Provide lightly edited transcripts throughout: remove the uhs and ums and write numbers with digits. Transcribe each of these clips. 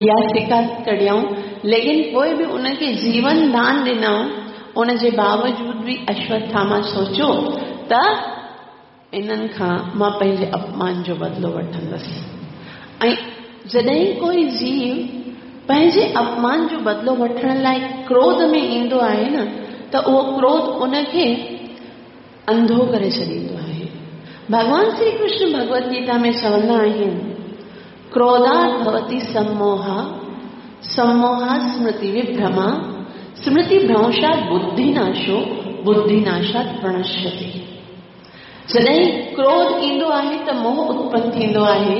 اها سڪا ڪڍيائون، ليڪن پوء به ان کي جيون دان ڏنائون. ان جي باوجود به اشوٿاما سوچيو ته انهن کان مان پنهنجي اپمان جو بدلو وٺندس. ۽ جڏهن ڪوئي جيو پنهنجي اپمان جو بدلو وٺڻ لاء ڪروڌ ۾ ايندو آهي نه ته اهو ڪروڌ ان کي انڌو ڪري ڇڏيندو آهي. ڀڳوان شري ڪرشن ڀڳوت گيتا ۾ چوندا آهن، ڪروڌات ڀوتي سموها، سموهات سمرتي وڀرما، سمرتي ڀرنشات ٻڌي ناشو، ٻڌي ناشات پرڻشيتي. جڏهن ڪروڌ ايندو آهي ته موهه اتپن ٿيندو آهي.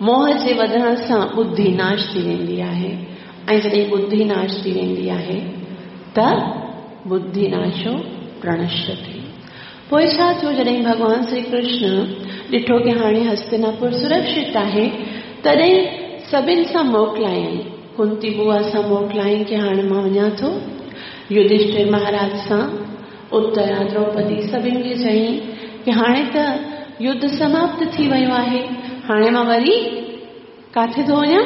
موهه جي وڌڻ سان ٻڌي ناش ٿي ويندي آهي ۽ جڏهن ٻڌي ناش ٿي ويندي آهي ته ٻڌي ناشو پرڻشيتي. پوء ڇا ٿيو جڏهن ڀڳوان شري ڪرشن ڏٺو ڪي هاڻي هستناپور سرڪشت آهي تڏهن سڀن سان موڪلايائين. ڪنتي بوا سان موڪلايائين ڪي هاڻي مان وڃان ٿو. يڌشٺر مهاراج سان، اترا، دروپدي سڀن کي چيائين ڪي هاڻي ته يڌ سماپت ٿي ويو آهي هاڻي مان وري ڪاٿي ٿو وڃان؟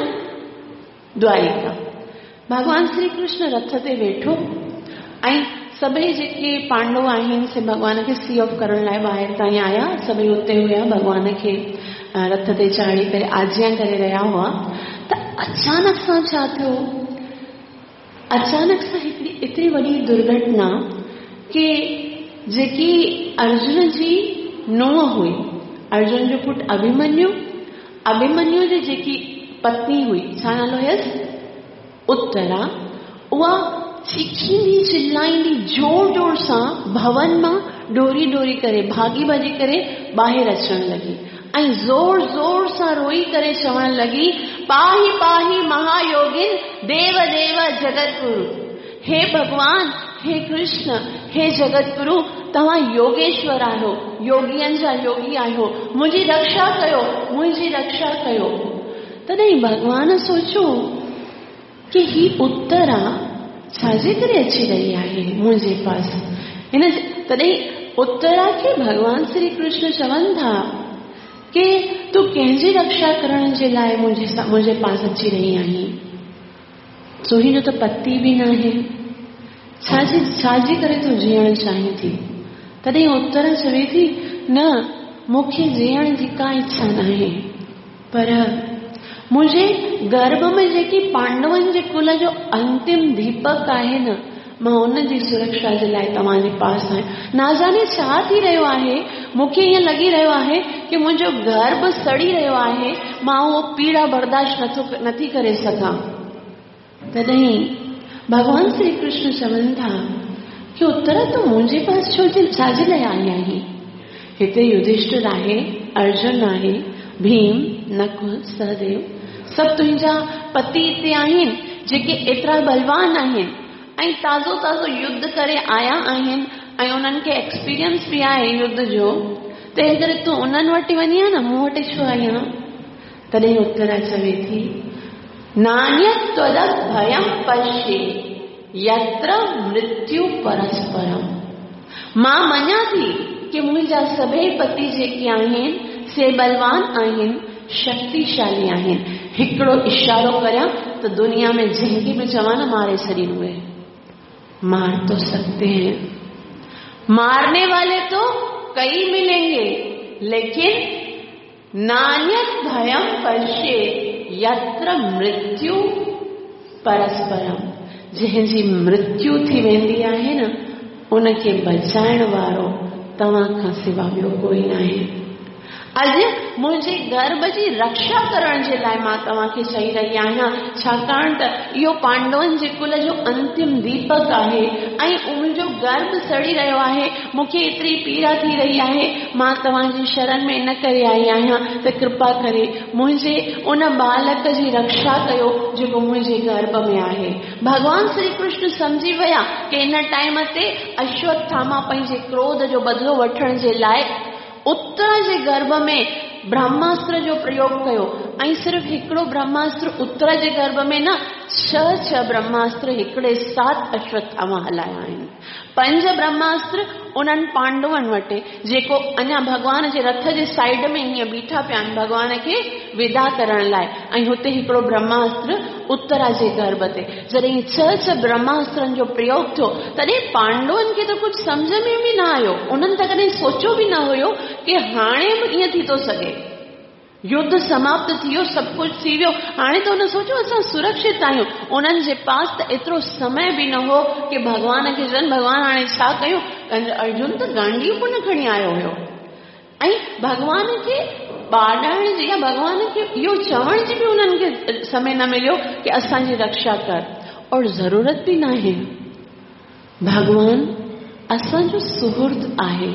دواريڪا. ڀڳوان شري ڪرشن رٿ تي ويٺو ۽ سڀئي جيڪي پانڊو آهن سي ڀڳوان کي سي آف ڪرڻ لاء ٻاهر تائين آيا. سڀئي اتي هيا. ڀڳوان کي رٿ تي چاڙهي ڪري آجيان ڪري رهيا هئا ته اچانڪ سان ڇا ٿيو؟ اچانڪ سان هڪڙي ايتري وڏي درگهٽنا ڪي جيڪي ارجن جي نونهن هئي، ارجن جو پٽ اڀيمنيو، اڀيمنيو جي جيڪي پتني هئي، ڇا نالو هيس؟ اترا، اها چيخيندي چلائيندي زور زور سان ڀون مان ڊوڙي ڊوڙي ڪري ڀاڳي ڀڄي ڪري ٻاهر اچڻ لڳي ۽ زور زور سان روئي ڪري چوڻ لڳي، پاهي پاهي مهايوگين ديو ديو جگت گرو. هي ڀڳوان، هي ڪرشن، هي جگت گرو، توهان يوگيشور آهيو، يوگين جا يوگي آهيو، منهنجي رڪشا ڪيو، منهنجي رڪشا ڪيو. تڏهن ڀڳوان سوچيو ڪي هي اترا ڇا جي ڪري اچي رهي آهي منهنجي پاس؟ هن تڏهن اترا کي ڀڳوان شري ڪرشن چون ٿا ڪي تون ڪنهن جي رڪشا ڪرڻ جي لاء منهنجي پاس اچي رهي آهين؟ تنهنجو ته پتي به ناهي. ڇا جي ڇا جي ڪري تون جيئڻ چاهين ٿي؟ تڏهن اترا چوي ٿي، نه، مون کي جيئڻ جي ڪا اڇا ناهي. پر منهنجي گرڀ ۾ جيڪي پانڊون جي ڪل جو انتم ديپڪ آهي نه، مان ان جي سرڪشا جي لاء توهان جي پاس آهيان. نازاني ڇا ٿي رهيو آهي؟ مون کي ائين لڳي رهيو آهي ڪي منهنجو گرڀ سڙي رهيو آهي، مان اهو پيڙا برداشت نٿو نٿي ڪري سگهان. تڏهن ڀڳوان شري ڪرشن چون ٿا ڪي اترا تون منهنجي پاس ڇو جي ڇا جي لاء آئي آهين؟ هتي يڌشٺر آهي، ارجن آهي، ڀيم، نڪل، سهديو سڀ تنهنجا پتي هتي آهن جيڪي ايترا بلوان آهن ۽ تازو تازو يڌ ڪري آيا آهن ۽ انهن کي ايڪسپيرينس به آهي يڌ جو تنهن ڪري تون انهن وٽ وڃين ها نه مون وٽ ڇو آئي آهين؟ تڏهن اترا چوي ٿي، نانيت تودپ ڀيم پشي يتر مرتيو پرسپرم. مان مڃان ٿي ڪي منهنجا سڀئي پتي جيڪي آهن سي بلوان آهن، شڪتيشالي آهن. هڪڙو اشارو ڪريان ته دنيا ۾ جنهن کي به چوان نه ماري ڇڏين اهي. مار تو سڪتي هين. مارني والي تو ڪئي ملين گي ليڪن نانيت ڀيم پشي يتر مرتيو پرسپرم جنهن جي مرتيو ٿي ويندي آهي نه ان کي بچائڻ وارو توهان کان سوا ٻيو ڪوئي ناهي. اڄ منهنجي گرڀ جي رڪشا ڪرڻ جي لاء مان توهان کي چئي رهي آهيان ڇاڪاڻ ته اهو پانڊون جي ڪل جو انتم ديپڪ آهي ۽ منهنجو گرڀ سڙي رهيو آهي مون کي ايتري پيڙا ٿي رهي آهي، مان توهان جي شرن ۾ ان ڪري آئي آهيان ته ڪرپا ڪري منهنجي ان ٻالڪ جي رڪشا ڪيو جيڪو منهنجي گرڀ ۾ آهي. ڀڳوان شري ڪرشن سمجهي ويا ڪي ان ٽائيم تي اشوٿاما پنهنجي ڪروڌ جو بدلو وٺڻ جي لاء اترا جي گرڀ ۾ برهماستر جو پريوگ ڪيو ۽ صرف هڪڙو برهماستر اترا جي گرڀ ۾ نه ڇهه ڇهه برهماستر هڪڙي ساٿ اشوٿاما هلايا آهن. پنج برهماستر انهن پانڊون وٽ جيڪو اڃا ڀڳوان جي رٿ جي سائيڊ ۾ هيئن بيٺا پيا آهن ڀڳوان کي ودا ڪرڻ لاء ۽ هتي هڪڙو برهماستر اترا جي گرڀ تي. جڏهن ڇهه ڇهه برهماسترن جو پريوگ ٿيو، تڏهن پانڊون کي ته ڪجهه سمجهه ۾ به نه آيو. انهن ته ڪڏهن سوچيو به نه هيو ڪه هاڻي به ائين ٿي ٿو سگهي. يڌ سماپت ٿي ويو، سڀ ڪجهه ٿي ويو، هاڻي ته هن سوچيو اسان سرڪشت آهيون. انهن جي پاس ته ايترو سمي به نه هو ڪه ڀڳوان کي چون ڀڳوان هاڻي ڇا ڪيون؟ ارجن ته گانڊيو ڪونه کڻي آيو هيو. ۽ ڀڳوان کي ٻاڏائڻ جي يا ڀڳوان کي اهو چوڻ جي به انهن کي سمي نه مليو ڪه اسان جي رڪشا ڪر. اور ضرورت به ناهي. ڀڳوان اسان جو سهرد آهي.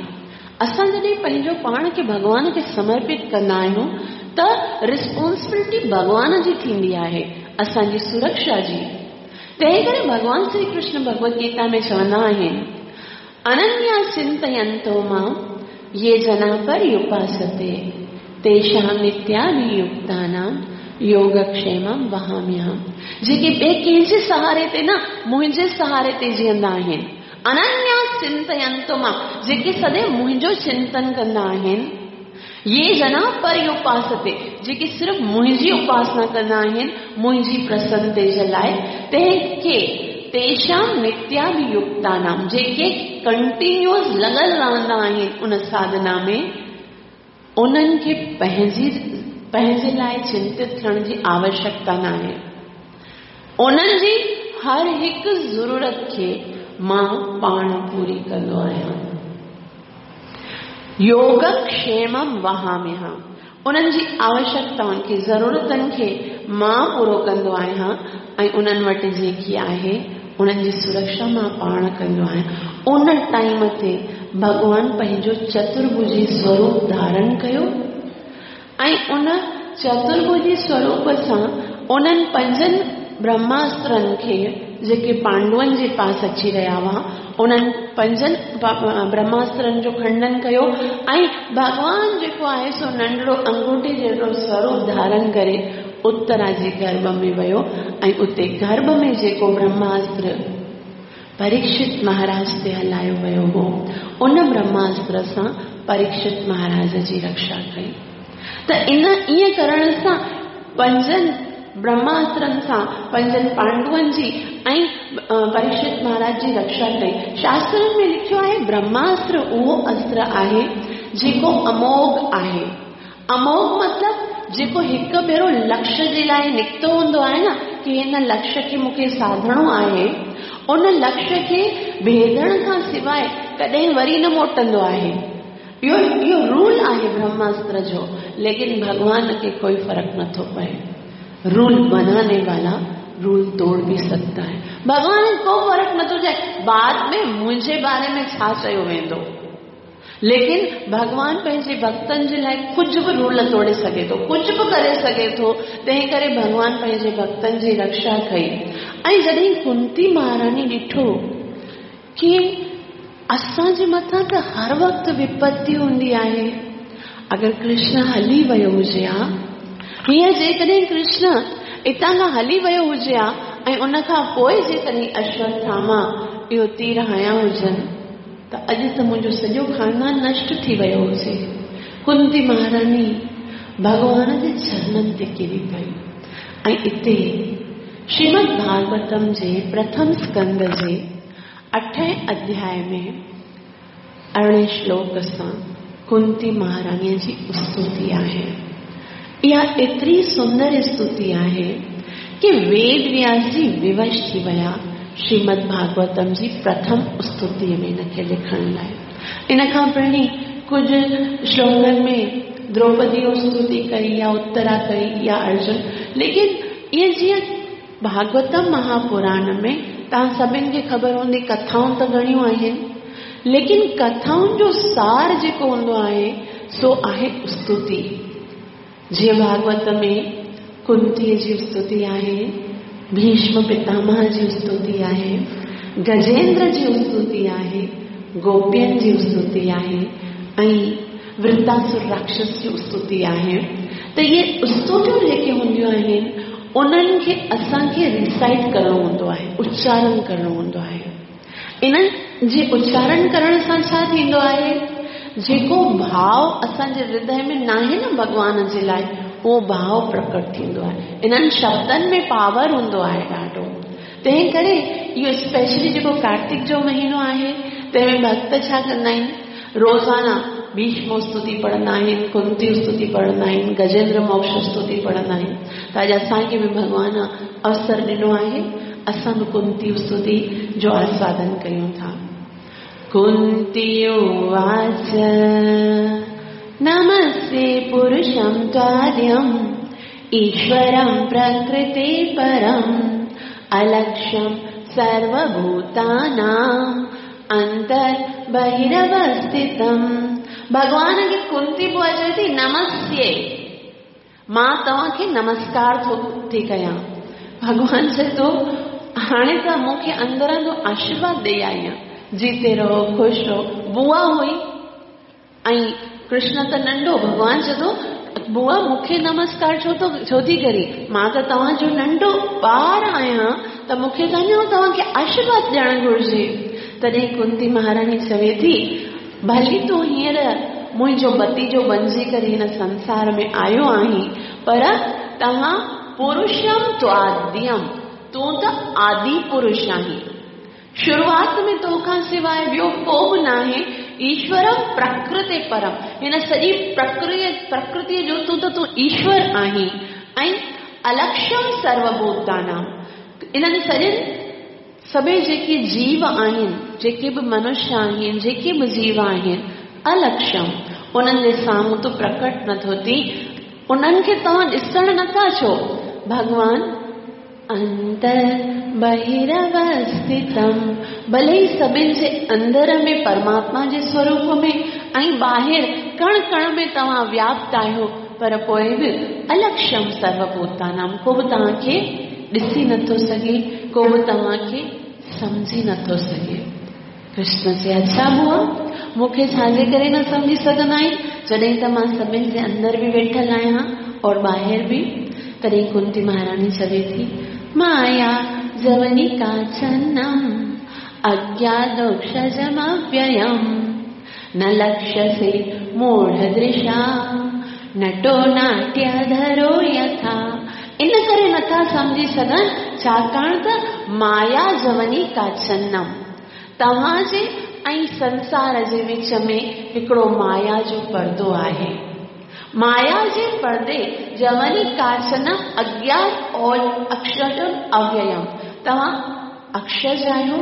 اسان جڏهن پنهنجو پاڻ کي ڀڳوان کي سمرپت ڪندا آهيون ته ريسپانسبلٽي ڀڳوان جي ٿيندي آهي اسان جي سرڪشا جي. تنهن ڪري ڀڳوان شري ڪرشن ڀڳوت گيتا ۾ چوندا آهن اننيا چنتينتو مام يي جنا پريوپاستي تيشام نتياڀيڪتانام يوگڪشيمم وهاميهم. جيڪي ٻئي ڪنهن جي سهاري تي نه منهنجي سهاري تي جيئندا آهن. اننيا چنتينتو مام جيڪي سدائين منهنجو چنتن ڪندا آهن. يي جنا پريوپاستي جيڪي صرف منهنجي اپاسنا ڪندا آهن منهنجي پرسنتي جي لاء تنهن کي تيشام نتياڀيڪتانام جيڪي ڪنٽينيوس لڳل رهندا آهن ان ساڌنا ۾ انهن کي پنهنجي پنهنجي لاء چنتت ٿيڻ جي آوشيڪتا ناهي. انهن جي هر هڪ ضرورت کي مان پاڻ پوري ڪندو آهيان. يوگڪشيمم وهاميهم انهن جي آوشيڪتائن کي، ضرورتن کي مان پورو ڪندو آهيان ۽ انهن وٽ جيڪي آهي انهن جي سرڪشا مان پاڻ ڪندو آهيان. ان ٽائيم تي ڀڳوان پنهنجو چترڀجي سوروپ ڌارڻ ڪيو ۽ ان چترڀجي سوروپ سان انهن پنجن برهماسترن کي جيڪي پانڊون جي پاس اچي رهيا هئا انهن پنجن برهماسترن جو کنڊن ڪيو ۽ ڀڳوان جيڪو آهي سو ننڍڙو انگوٺي جهڙو سوروپ ڌارڻ ڪري اترا جي گرڀ ۾ ويو ۽ اتي گرڀ ۾ جيڪو برهماستر پريڪشت مهاراج تي هلايو ويو هو ان برهماستر سان پريڪشت مهاراج جي رڪشا ڪئي. ته ان ائين ڪرڻ سان پنجن برهماسترن سان پنجن پانڊون جي ۽ پريڪشت مهاراج جي رڪشا ڪئي. شاسترن ۾ لکيو آهي برهماستر اهو استر آهي جيڪو اموگهه آهي. اموگهه مطلب جيڪو هڪ ڀيرو لڪش جي لاء نڪتو هوندو آهي نه ڪي هن لڪش کي مون کي ساڌڻو آهي ان لڪش کي ڀيدڻ کان سواء ڪڏهن وري نه موٽندو آهي. اهو اهو رول آهي برهماستر جو ليڪن ڀڳوان کي ڪوئي فرق نٿو پئي. رول بناني والا رول توڙ به سگهتا هي. ڀڳوان کي ڪو فرق نٿو چئي بعد ۾ منهنجي باري ۾ ڇا چيو ويندو. ليڪن ڀڳوان پنهنجي ڀڳتن جي لاء ڪجهه به رول توڙي سگهي ٿو، ڪجهه به ڪري سگهي ٿو، تنهن ڪري ڀڳوان پنهنجي ڀڳتن جي رڪشا ڪئي. ۽ جڏهن ڪنتي مهاراڻي ڏٺو ڪي اسان جي مٿان ته هر وقت وپتي هوندي آهي. اگر ڪرشن هلي ويو هجي ها، هينئر جيڪڏهن ڪرشن اتان کان هلي ويو هجي ها ۽ ان کان پوء جيڪڏهن اشوٿاما اهو تير هنيا هجن ته اڄ ته منهنجو سڄو خاندان نشٽ ٿي ويو هجي. ڪنتي مهاراڻي ڀڳوان جي چرنن تي ڪري پئي ۽ اتي شريمد ڀاڳوتم جي پرٿم اسڪنڌ جي اٺين اڌياء ۾ ارڙهين شلوڪ سان ڪنتي مهاراڻيء جي استوتي آهي. اها ايتري سندر استوتي آهي ڪي ويد وياس جي ووش ٿي ويا شريمد ڀاڳوتم جي پرٿم استوتيء ۾ ان کي لکڻ لاء. ان کان پهرين ڪجهه شلوڪن ۾ دروپديء استوتي ڪئي يا اترا ڪئي يا ارجن ليڪن ائين جيئن ڀاڳوتم مهاپراڻ ۾ توهان سڀن کي خبر هوندي ڪٿائون ته گهڻيون آهن ليڪن ڪٿائن جو سار جيڪو هوندو آهي سو آهي استوتي. جيئن ڀاڳوت ۾ ڪنتيء جي استوتي آهي، ڀيشم پتامهه جي استوتي آهي، گجيندر جي استوتي آهي، گوپين جي استوتي آهي ۽ ورتاسر راڪشس جي استوتي آهي ته اهي استوتيون جيڪي هونديون آهن انهن کي اسان کي ريسائيٽ ڪرڻو هوندو آهي، اچارڻ ڪرڻو هوندو آهي. انهن جي اچارڻ ڪرڻ سان ڇا ٿيندو آهي؟ جيڪو ڀاء اسان جي هردي ۾ ناهي نه ڀڳوان جي لاء، اهو ڀاو پرڪٽ ٿيندو آهي. انهن شبدن ۾ پاور هوندو آهي ڏاڍو. تنهن ڪري اهو اسپيشلي جيڪو ڪارتڪ جو مهينو آهي تنهن ۾ ڀڳت ڇا ڪندا آهن روزانه ڀيشم استتي پڙهندا آهن، ڪنتي استتي پڙهندا آهن، گجيندر موڪش استتي پڙهندا آهن. ته اڄ اسان کي به ڀڳوان اوسر ڏنو آهي اسان به ڪنتي استتي جو آسوادن ڪيون ٿا. ڪنتي اواچ نمستي پرشم تاديم ايشورم پرڪرتي پرم الڪشيم سروڀوتانام انتر بهروستتم. ڀڳوان کي ڪنتي بوا چوي ٿي نمستي مان توهان کي نمسڪار ٿو ٿي ڪيان. ڀڳوان چئي ٿو هاڻي ته مون کي اندران جو آشيرواد ڏئي آئي آهين. جيتي رهو خوش رهو. بوا هئي ۽ ڪرشن ته ننڍو. ڀڳوان چئي ٿو بوا مون کي نمسڪار ڇو ٿو ڇو ٿي ڪرين؟ مان ته توهان جو ننڍو ٻار آهيان ته مون کي ته اڃا توهان کي آشيرواد ڏيڻ گهرجي. تڏهن ڪنتي مهاراڻي چوي ٿي ڀلي تون هينئر منهنجو ڀتيجو بنجي ڪري هن سنسار ۾ آيو آهين، پر توهان پرشم تواديم، تون ته آدي پرش آهين. شروعات ۾ تو کان سواء ٻيو ڪو به ناهي، ايشورم پرڪرتي پرم، هن سڄي پرڪرتيء جو تون ته تون ايشور آهين ۽ الڪشم سروڀوتانام، انهن سڄن سڀئي جيڪي جيو آهن، جيڪي به منشيه آهن، جيڪي به جيو آهن، الڪشم، انهن جي سامهون تون پرڪٽ نٿو ٿين، انهن کي توهان ڏسڻ نٿا اچو، ڀڳوان انتر بهرئوستتم، ڀلي ئي سڀن جي اندر ۾ پرماتما جي سوروپ ۾ ۽ ٻاهر ڪڻ ڪڻ ۾ توهان وياپت آهيو، پر پوء به الڪشم سروڀوتانام، ڪو به توهان کي ڏسي نٿو سگهي، ڪو به توهان کي سمجهي نٿو سگهي. ڪرشن چي، اڇا بوا، مون کي ڇا جي ڪري نه سمجهي سگهندا آهن، جڏهن ته مان سڀن جي اندر به ويٺل آهيان اور ٻاهر به. تڏهن ڪنتي مهاراڻي چوي ٿي، مايا جونيڪا ڇنم، اگيادوक्षجمويم، نه لڪشسي موڙهه درشا، نٽو ناٽيه ڌرو يٿا. ان ڪري نٿا سمجهي سگهن، ڇاڪاڻ ته مايا جونيڪا ڇنم، توهان جي ۽ سنسار جي وچ ۾ هڪڙو مايا جو پردو آهي. مايا جي پردي جونيڪا ڇنم اگيان اڪشرم اويم، توهان اڪشرج آهيو،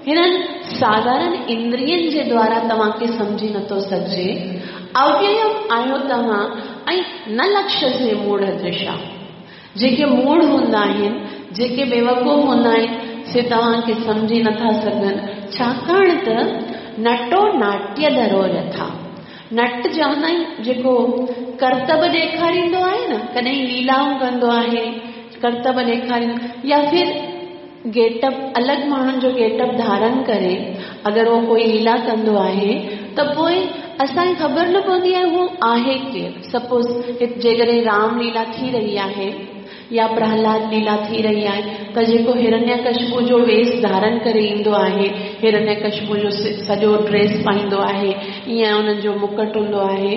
هنن ساڌارن اندرين جي دوارا توهان کي سمجهي نٿو سگهجي. اويم آهيو توهان ۽ نه لڪشسي موڙهه درشا. جيڪي موڙهه هوندا آهن، جيڪي بيوقوف هوندا آهن، سي توهان کي سمجهي نٿا سگهن، ڇاڪاڻ ته نٽو ناٽيه ڌرو يٿا. نٽ چوندا آهن جيڪو ڪرتب ڏيکاريندو آهي نه، ڪڏهن ليلائون ڪندو آهي، ڪرتب ڏيکاريندو يا ڦر گيٽ اپ الڳ ماڻهن جو گيٽ اپ ڌارن ڪري اگر هو ڪوئي ليلا ڪندو آهي ته پوء اسان کي خبر نه پوندي آهي هو آهي ڪير. سپوز جيڪڏهن رام ليلا ٿي رهي آهي يا پرهلاد ليلا ٿي رهي آهي ته جيڪو هرنيڪشپو جو ويس ڌارن ڪري ايندو آهي، هرنيڪشپو جو سڄو ڊريس پائيندو آهي، ائين انهن جو مڪٽ هوندو آهي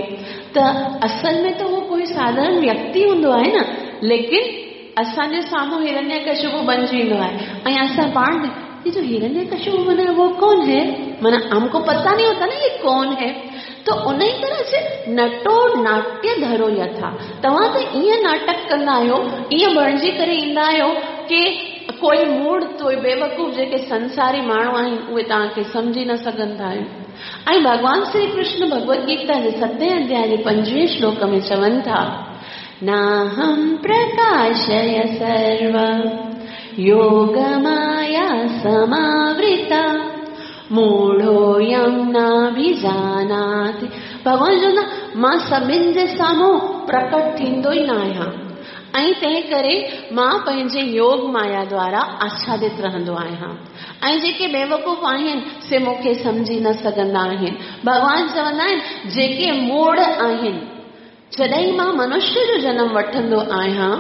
ته اصل ۾ ته هو ڪوئي ساڌارن ويڪتي هوندو آهي نه ليڪن اسان جي سامهون هرنيڪشپو بنجي ويندو آهي ۽ اسان پاڻ به ये जो हिरण्यकशिपु बना है वो कौन है، معنيٰ हमको पता नहीं होता ना ये कौन है. تو ان ئي طرح سي نٽو ناٽيه ڌرو يٿا، توهان ته ائين ناٽڪ ڪندا آهيو، ائين بڻجي ڪري ايندا آهيو ڪي ڪوئي موڙهه ڪوئي بيوقوف جيڪي سنساري ماڻهو آهن اهي توهان کي سمجهي نه سگهندا آهن. ۽ ڀڳوان شري ڪرشن ڀڳوت گيتا جي ستين اڌياء جي پنجويهين شلوڪ ۾ چون ٿا، ناهم پرڪاشيه سرو يوگ مايا سماورتا موڙهويم ناڀيجاناتي. ڀڳوان چوندا مان سڀن جي سامهون پرڪٽ ٿيندو ئي نه آهيان ۽ تنهن ڪري مان پنهنجي يوگ مايا دوارا آڇادت رهندو آهيان ۽ جيڪي بيوقوف آهن سي مون کي سمجهي نه سگهندا آهن. ڀڳوان چوندا آهن جيڪي موڙهه آهن جڏهن مان منشيه جو جنم وٺندو آهيان،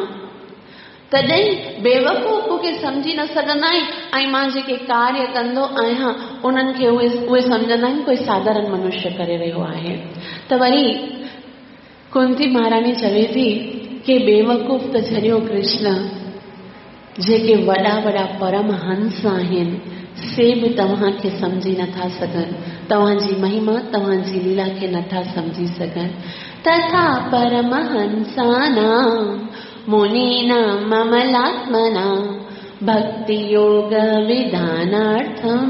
تڏهن بيوقوف مون کي سمجهي نه سگهندا آهن ۽ مان جيڪي ڪاريه ڪندو آهيان، انهن کي اهي اهي سمجهندا آهن ڪوئي ساڌارن منشيه ڪري رهيو آهي. ته وري ڪنتي مهاراڻي چوي ٿي، ڪي بيوقوف ته ڇڏيو ڪرشن، جيڪي وڏا وڏا پرمهنس آهن، سي به توهان کي سمجهي نٿا سگهن، توهان جي مهما، توهان جي ليلا کي نٿا سمجهي سگهن. تٿا پرمهنسانام منينام املاتمنام ڀڪتي يوگ وڌانارٿم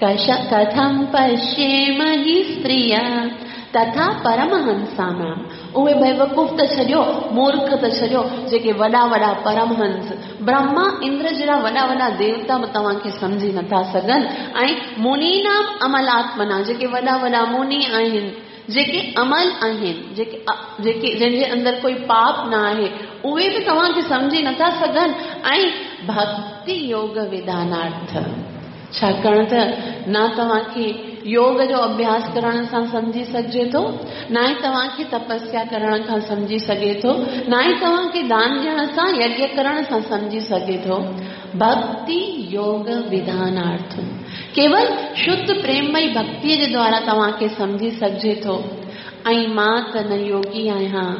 ڪٿم پشيم هي استريا تٿا پرمهنسانام اهي بيوقوف ته ڇڏيو، مورک ته ڇڏيو، جيڪي وڏا وڏا پرمهنس، برهما، اندر جهڙا وڏا وڏا ديوتا به توهان کي سمجهي نٿا سگهن ۽ منينام املاتمنا جيڪي وڏا وڏا مني آهن، جيڪي امل آهن، جيڪي جيڪي جن جي اندر ڪوئي پاپ نه آهي، اهي به توهان کي سمجهي نٿا سگهن ۽ ڀڪتي يوگ وڌانارٿ ڇاڪاڻ ته نه توهان کي يوگ جو اڀياس ڪرڻ سان سمجهي سگهجي ٿو، نه ئي توهان کي تپسيا ڪرڻ کان سمجهي سگهي ٿو، نه ئي توهان کي دان ڏيڻ سان، يگيه ڪرڻ سان سمجهي سگهي ٿو. ڀڪتي يوگ وڌانارٿ ڪيول شڌ پريممئي ڀڪتيء جي دوارا توهان کي سمجهي سگهجي ٿو ۽ مان ته نه يوگي آهيان،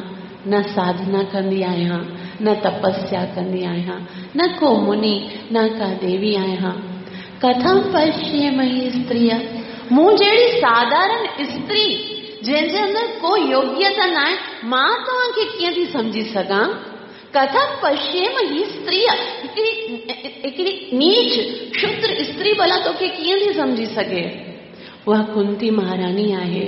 نه ساڌنا ڪندي آهيان، نه تپسيا ڪندي آهيان، نه ڪو مني، نه ڪا ديوي آهيان. ڪٿم پشيم هي استريء، مون جهڙي ساڌارڻ استري، جنهن جي اندر ڪو يوگيتا ناهي، مان توهان کي ڪيئن ٿي سمجهي سگهان؟ ڪٿم پشيم هي استريء، هڪڙي هڪڙي نيچ شودر استري ڀلا توکي ڪيئن ٿي سمجهي سگهي؟ اها ڪنتي مهاراڻي آهي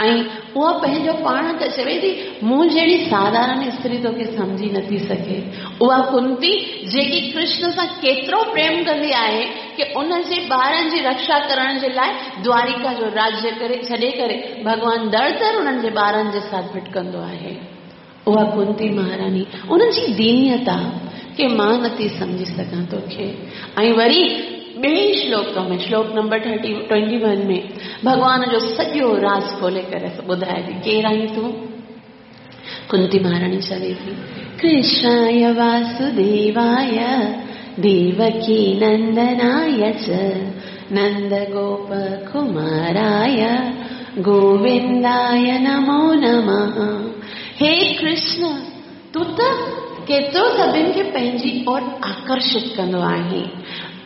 ۽ اها پنهنجو پاڻ ته چوي ٿي مون جهڙي ساڌارڻ استري توکي سمجهي نٿي سگهي. اها ڪنتي جيڪي ڪرشن سان ڪيترو پريم ڪندي آهي ڪي ان جي ٻارن جي رڪشا ڪرڻ جي لاء دواريڪا جو راجيه ڪري ڇڏي ڪري ڀڳوان در در انهن جي ٻارن جي ساٿ ڀٽڪندو آهي. اها ڪنتي مهاراڻي ان جي دينيتا کي مان نٿي سمجهي سگهان توکي ۽ وري ٻئي شلوڪ ۾ شلوڪ نمبر ٿرٽي ٽوئنٽي ون ۾ ڀڳوان جو سڄو راز کولي ڪري ٻڌائي ٿي ڪير آهين تون ڪنتي مهاراڻي چوي ٿي ڪرشناي واسديواي ديوڪي نندناي چ نند گوپ ڪماراي گوونداي نمو نمه هي ڪرشن تون ته ڪيترو سڀن کي پنهنجي اور آڪرشت ڪندو آهين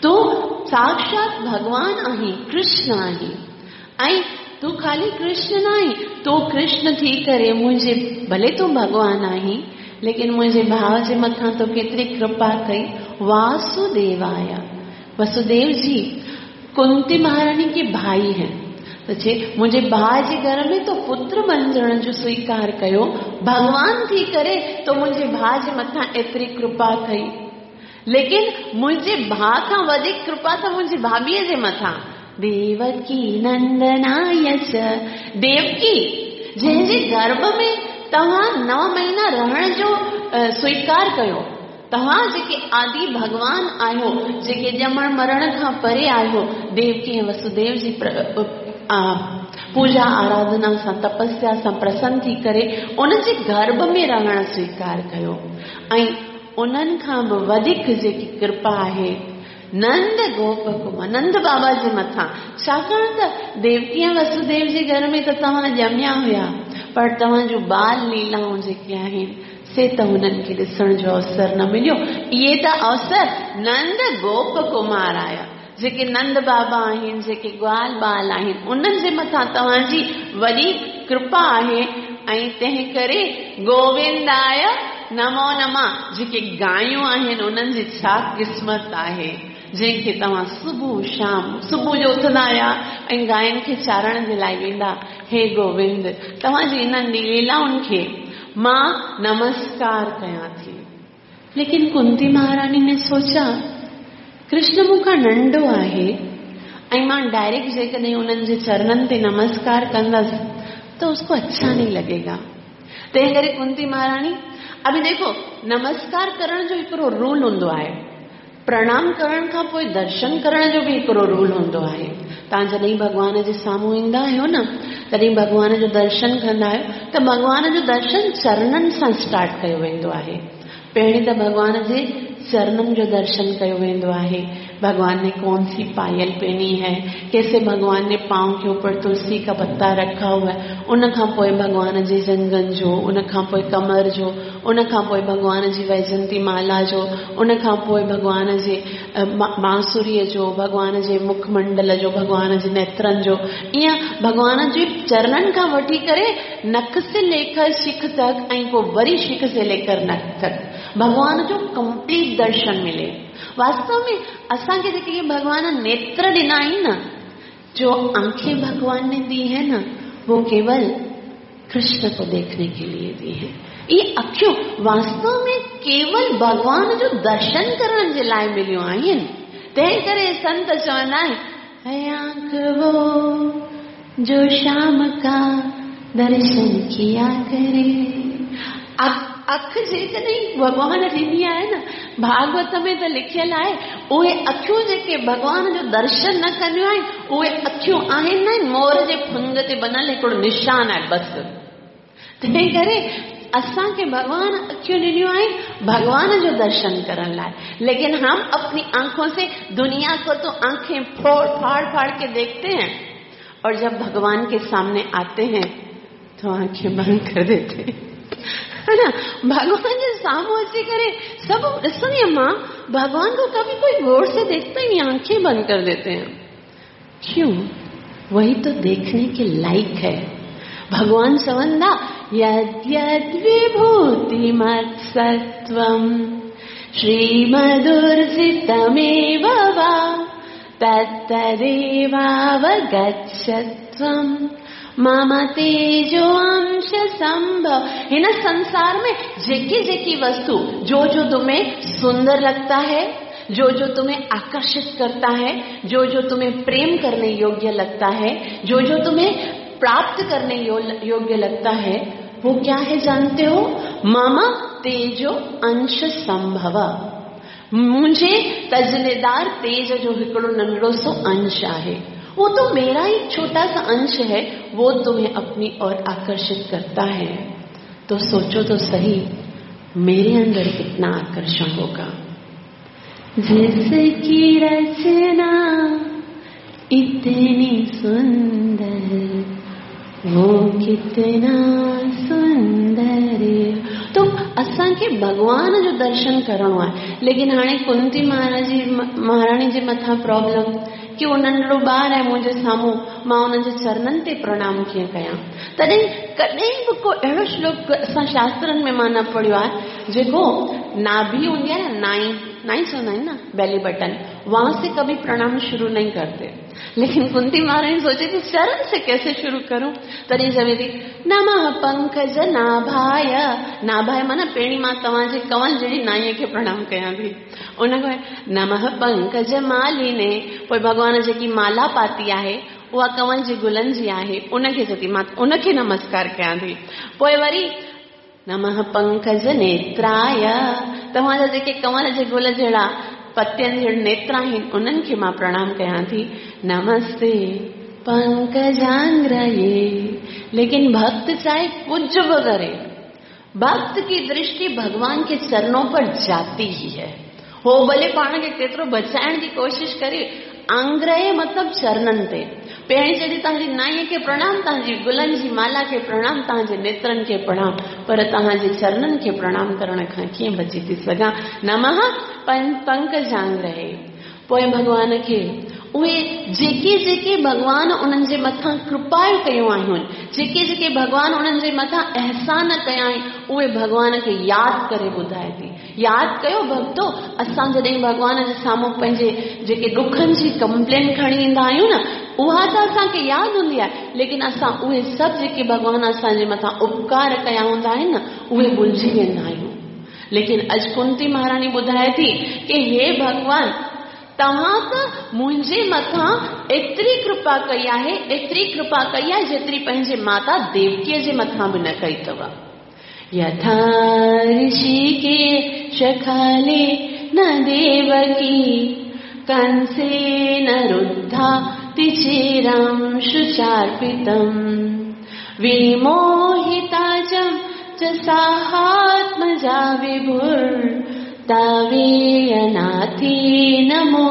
تون ساڪشات ڀڳوان آهين ڪرشن آهين ۽ تون خالي ڪرشن نه آهين تون ڪرشن ٿي ڪري منهنجي ڀلي تون ڀڳوان آهين ليڪن منهنجي ڀاء جي مٿان تو ڪيتري ڪرپا ڪئي واسوديواي وسوديو جي ڪنتي مهاراڻي ڪي ڀائي هين ته چي منهنجي ڀاء جي گهر ۾ تو پتر بنجڻ جو سويڪار ڪيو ڀڳوان ٿي ڪري تو منهنجي ڀاء جي مٿان ايتري ڪرپا ڪئي ليڪن منهنجي ڀاء کان وڌيڪ ڪرپا ته منهنجي ڀاڀيء جي مٿان ديوڪي نندناي چ ديوڪي جنهن جي گرڀ ۾ توهان نو مهينا رهڻ جو سويڪار ڪيو توهان جيڪي آدي ڀڳوان آهيو، جيڪي ڄمڻ مرڻ کان پري آهيو، ديوڪي ۽ وسوديو جي پوڄا آراڌنا سان تپسيا سان پرسن ٿي ڪري ان جي گرڀ ۾ رهڻ سويڪار ڪيو ۽ انهن کان به وڌيڪ جيڪي ڪرپا آهي نند گوپ ڪمار نند بابا جي مٿان ڇاڪاڻ ته ديوڪي ۽ وسوديو جي گهر ۾ ته توهان ڄميا هيا پر توهان جون بال ليلائون جيڪي آهن سي ته هنن کي ڏسڻ جو اوسر نه مليو. اهي ته اوسر نند گوپ ڪمار آيا، جيڪي نند بابا آهن، جيڪي گوال ٻال آهن، انهن جي مٿان توهان جي وڏي ڪرپا آهي ۽ تنهن ڪري گوونداء نمو نمه جيڪي گايون آهن، انهن جي ڇا قسمت آهي، جنهن کي توهان صبح شام، صبح جو اٿندا هيا ۽ گاين کي چارڻ جي لاء ويندا، هي گووند! توهان جي انهن ليلائن کي مان نمسڪار ڪيان ٿي. ليڪن ڪنتي مهاراڻي ني سوچا، ڪرشن مون کان ننڍو آهي ۽ مان ڊائريڪٽ جيڪڏهن انهن جي چرنن تي نمسڪار ڪندس ته اس ڪو اڇا نهين لڳي گا. تنهن ڪري ڪنتي مهاراڻي، اڀي ديکو نمسڪار ڪرڻ جو هڪڙو رول هوندو آهي. پرڻام ڪرڻ کان پوء درشن ڪرڻ جو به هڪڙو رول هوندو آهي. توهان جڏهن ڀڳوان جي سامهون ايندا آهيو نه، تڏهن ڀڳوان جو درشن ڪندا آهيو ته ڀڳوان جو درشن چرنن سان اسٽارٽ ڪيو ويندو آهي. پهرين ته ڀڳوان جي चरणनि जो दर्शन कयो वेंदो आहे। भगवान ने कौन सी पायल पहनी है, कैसे भगवान ने पाँव के ऊपर तुलसी का पत्ता रखा हुआ है, उन खां पोइ भगवान जे जंघनि जो, उन खां पोइ कमर जो, उन खां पोइ भगवान जी वैजंती माला जो, उन खां पोइ भगवान जे बांसुरीअ जो, भगवान जे मुखमंडल जो, भगवान जे नेत्रनि जो, ईअं भगवान जे चरणनि खां वठी करे नख से लेकर शिख तक ऐं पोइ वरी शिख से लेकर नख तक भगवान जो कंप्लीट दर्शन मिले। वास्तव में असांखे जेके भगवान नेत्र ॾिना आहिनि न, जो आंखें भगवान ने दी है ना, वो केवल कृष्ण को देखने के लिए दी है। ये अखियूं वास्तव में केवल भगवान जो दर्शन करण जे लाइ मिलियूं आहिनि। तंहिं करे संत चवंदा आहिनि, है आंख वो जो शाम का दर्शन किया करे। अख जेकॾहिं भॻवान ॾिनी आहे न, भागवत में त लिखियलु आहे, उहे अखियूं जेके भॻवान जो दर्शन न कंदियूं आहिनि, उहे अखियूं आहिनि न मोर जे फंग ते बणियल हिकिड़ो निशान आहे बसि। तंहिं करे असांखे भॻवान अखियूं ॾिनियूं आहिनि भॻवान जो दर्शन करण लाइ, लेकिन हम अपनी आंखों से दुनिया को तो आंखें फोड़ फाड़ फाड़ के देखते हैं, और जब भगवान के सामने आते हैं तो आंखें बंद कर देते हैं, है ना। भगवान जे साम्हूं अची करे सभु ॾिसंदी आहियां मां, भगवान को कभी कोई गौर से देखता ही नहीं, आंखें बंद कर देते हैं। क्यों? वही तो देखने के लायक है। भगवान चवंदा यद् यद् विभूतिमत्सत्त्वं श्रीमदुर्जितमेव वा तत्तदेवावगच्छत्वं मम तेजो अंश संभव। हिन संसार में जेकी जेकी वस्तु जो जो तुम्हें सुंदर लगता है, जो जो तुम्हें आकर्षित करता है, जो जो तुम्हें प्रेम करने योग्य लगता है, जो जो तुम्हें प्राप्त करने योग्य लगता है, वो क्या है जानते हो? मम तेजो अंश संभव। मुझे तजलेदार तेज जो हिकिड़ो नंढड़ो सो अंश आहे, वो तो मेरा ही छोटा सा अंश है, वो तुम्हें अपनी ओर आकर्षित करता है। तो सोचो तो सही, मेरे अंदर कितना आकर्षण होगा। जिसकी रचना इतनी सुंदर, वो कितना सुंदर। तो असांखे भॻवान जो दर्शन करणो आहे, लेकिन हाणे कुंती महाराणी जे मथां प्रॉब्लम कि उहो नंढड़ो ॿार आहे मुंहिंजे साम्हूं, मां उन्हनि जे चरणनि ते प्रणाम कीअं कयां? तॾहिं कॾहिं बि को अहिड़ो श्लोक असां शास्त्रनि में मां न पढ़ियो आहे, जेको नाभि हूंदी आहे न, नाई नाई चवंदा आहिनि न, बेली बटन, वहां से कभी प्रणाम शुरू नहीं करते। लेकिन कुंती महारानी सोचे थी चरण से कैसे शुरू करूं? तॾहिं चवे थी नमः पंकज नाभाय। नाभाय माना पहिरीं मां तव्हांजे कंवल जहिड़ी नाईअ खे प्रणाम कयां थी। उन खां नमः पंकज मालिने, पोइ भॻवान जेकी माला पाती आहे उहा कंवल जे गुलनि जी आहे, उनखे चए थी मां उनखे नमस्कार कयां थी। पोइ वरी नमः पंकज नेत्राय, तव्हांजा जेके कंवल जे गुल जहिड़ा पतियनि जहिड़ा नेत्र आहिनि उन्हनि खे मां प्रणाम कयां थी। नमस्ते पंकजांग्रये। लेकिन भक्त चाहे कुछ भी करे, भक्त की दृष्टि भगवान के चरणों पर जाती ही है। हो भले पाण खे केतिरो बचाइण जी कोशिश करे, आंग्रय मतलब चरणनि ते। पहिरीं चए थी तव्हांजी नाईअ खे प्रणाम, तव्हांजी गुलनि जी माला खे प्रणाम, तव्हांजे नेत्रनि खे प्रणाम, पर तव्हांजे चरणनि खे प्रणाम करण खां कीअं बची थी सघां? नमः पंकजांग्रये। पोइ भॻवान खे उहे जेके जेके भॻवान उन्हनि जे मथां कृपायूं कयूं आहिनि, जेके जेके भॻवान उन्हनि जे मथां अहसान कया आहिनि, उहे भॻवान खे यादि करे ॿुधाए थी। यादि कयो भक्तो, असां जॾहिं भॻवान जे साम्हूं पंहिंजे जेके ॾुखनि जी कंप्लेन खणी ईंदा आहियूं न, उहा त असांखे यादि हूंदी आहे, लेकिन असां उहे सभु जेके भॻवान असांजे मथां उपकार कया हूंदा आहिनि न, उहे भुलिजी वेंदा आहियूं। लेकिन अॼु कुंती महाराणी ॿुधाए थी की हे भॻवान, तव्हां त मुंहिंजे मथां एतिरी कृपा कई आहे, एतिरी कृपा कई आहे जेतिरी पंहिंजे माता देवकीअ जे मथां बि न कई अथव। यथा ऋषिकेश खाले न देवकी, कंसेन रुद्धा तिचिरं शुचार्पितम्, विमोहिता च साहात्मजा विभुर् तवेयनाथी नमो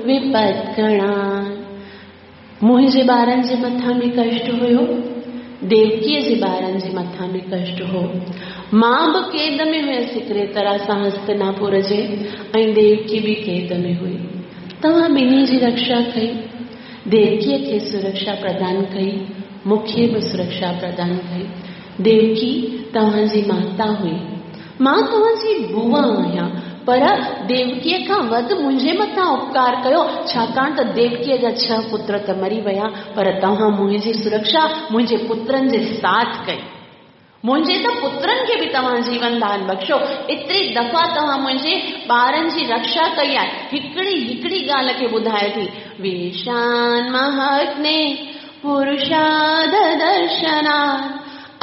विपत्कणान्। मुंहिंजे ॿारनि जे मथां बि कष्ट हुयो, देवकीअ जे ॿारनि जे मथां बि कष्ट हो। मां बि क़ैद में हुयसि हिकिड़े तरह सां हस्तिनापुर जे, ऐं देवकी बि क़ैद में हुई। तव्हां ॿिन्ही जी रक्षा कई, देवकीअ खे सुरक्षा प्रदान कई, मूंखे बि सुरक्षा प्रदान कई। देवकी तव्हांजी माता हुई, मां तव्हांजी बुआ आहियां, पर देवकीअ खां वधि मुंहिंजे मथां उपकार कयो, छाकाणि त देवकीअ जा 6 पुत्र त मरी विया, पर तव्हां मुंहिंजी सुरक्षा मुंहिंजे पुत्रनि जे साथ कई। मुंहिंजे त पुत्रनि खे बि तव्हां जीवन दान बख़्शियो। एतिरी दफ़ा तव्हां मुंहिंजे ॿारनि जी रक्षा कई आहे। हिकिड़ी हिकिड़ी ॻाल्हि खे ॿुधाए थी। विषान महाग्ने पुरुषाद दर्शनात्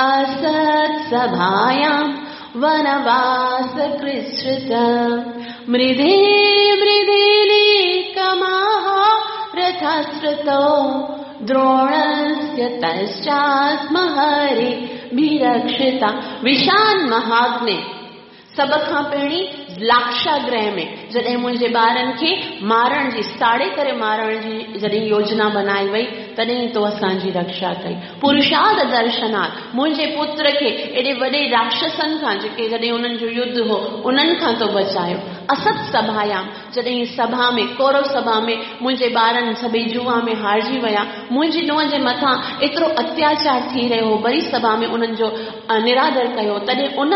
असत् सभायां वनवास कृच्छ्रित मृधे मृधे कमाः रथाश्रितो द्रोणस्य तश्चास्म हरिभिरक्षिता। विषान महाग्ने सभ खां पहिरीं लाक्षागृह में जॾहिं मुंहिंजे ॿारनि खे मारण जी, साड़े करे मारण जी जॾहिं योजना बनाई वई, तॾहिं तो असांजी रक्षा कई। पुरुषाद दर्शनात् मुंहिंजे पुत्र खे एॾे वॾे राक्षसनि खां, जेके जॾहिं उन्हनि जो युद्ध हो, उन्हनि खां तो बचायो। असत सभायाम जॾहिं सभा में, कौरव सभा में मुंहिंजे ॿारनि सभई जुआ में हारिजी विया, मुंहिंजी नूंहं जे मथां एतिरो अत्याचार थी रहियो हो, वरी सभा में उन्हनि जो निरादर कयो, तॾहिं उन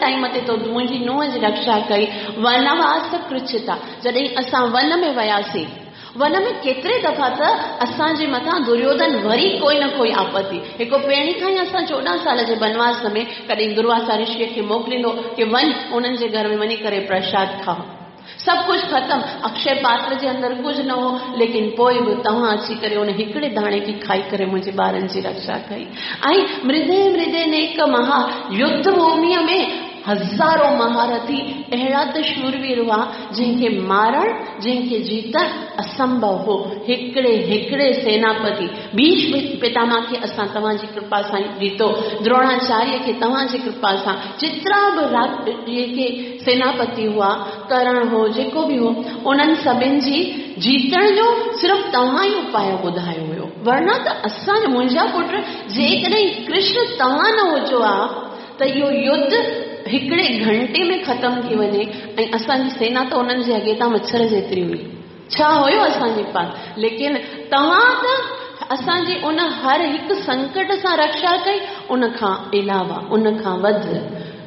टाइम ते तो मुंहिंजी नूंहं जी रक्षा कई। वनवास कृच्छिता जॾहिं असां वन में वियासीं, वन में केतिरे दफ़ा त असांजे मथां दुर्योधन वरी कोई न कोई आपत्ति। हिकु पहिरीं खां ई असां 14 साल जे बनवास में कॾहिं दुर्वासा ऋषीअ खे मोकिलींदो की वञ उन्हनि जे घर में वञी करे प्रसाद खाओ, सभु कुझु ख़तमु, अक्षय पात्र जे अंदरि कुझु न हो, लेकिन पोइ बि तव्हां अची करे उन हिकिड़े दाणे खे खाई करे मुंहिंजे ॿारनि जी रक्षा कई। ऐं मृदे मृदे नेक महा युद्ध भूमिअ में हज़ारों महारथी अहिड़ा त शूरवीर हुआ, जंहिंखे मारण, जंहिंखे जीतण असंभव हो। हिकिड़े हिकिड़े सेनापति भीष्म पितामह खे असां तव्हांजी कृपा सां जीतो, द्रोणाचार्य खे तव्हांजी कृपा सां, जेतिरा बि जेके सेनापति हुआ, करण हो, जेको बि हो, उन्हनि सभिनि जी जीतण जो सिर्फ़ तव्हां ई उपाय ॿुधायो हुयो, वरना त असांजो मुंहिंजा पुट जेकॾहिं कृष्ण तव्हां न हुजो हा त इहो युद्ध हिकिड़े घंटे में ख़तमु थी वञे। ऐं असांजी सेना त उन्हनि जे अॻे तां मच्छर जेतिरी हुई, छा हुयो असांजे पास, लेकिन तव्हां त असांजी उन हर हिकु संकट सां रक्षा कई। उन खां अलावा, उन खां वधि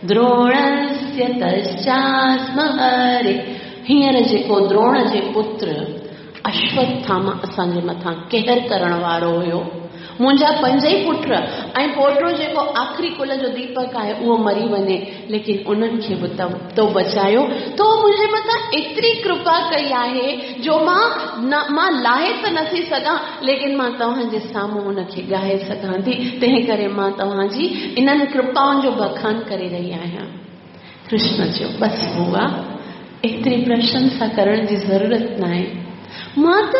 द्रोणस्य तश्चास्म हरि, हींअर जेको द्रोण जे पुत्र अश्वत्थामा असांजे मथां कहर करण वारो हुयो, मुंहिंजा 5 ई पुट ऐं पोटो जेको आख़िरी कुल जो दीपक आहे उहो मरी वञे, लेकिन उन्हनि खे बि तो बचायो। तो मुंहिंजे मथां एतिरी कृपा कई आहे जो मां लाहे त नथी सघां, लेकिन मां तव्हांजे साम्हूं उनखे ॻाए सघां थी, तंहिं करे मां तव्हांजी इन्हनि कृपाउनि जो बखान करे रही आहियां। कृष्ण चयो, बसि बुआ, एतिरी प्रशंसा करण जी ज़रूरत न आहे, मां त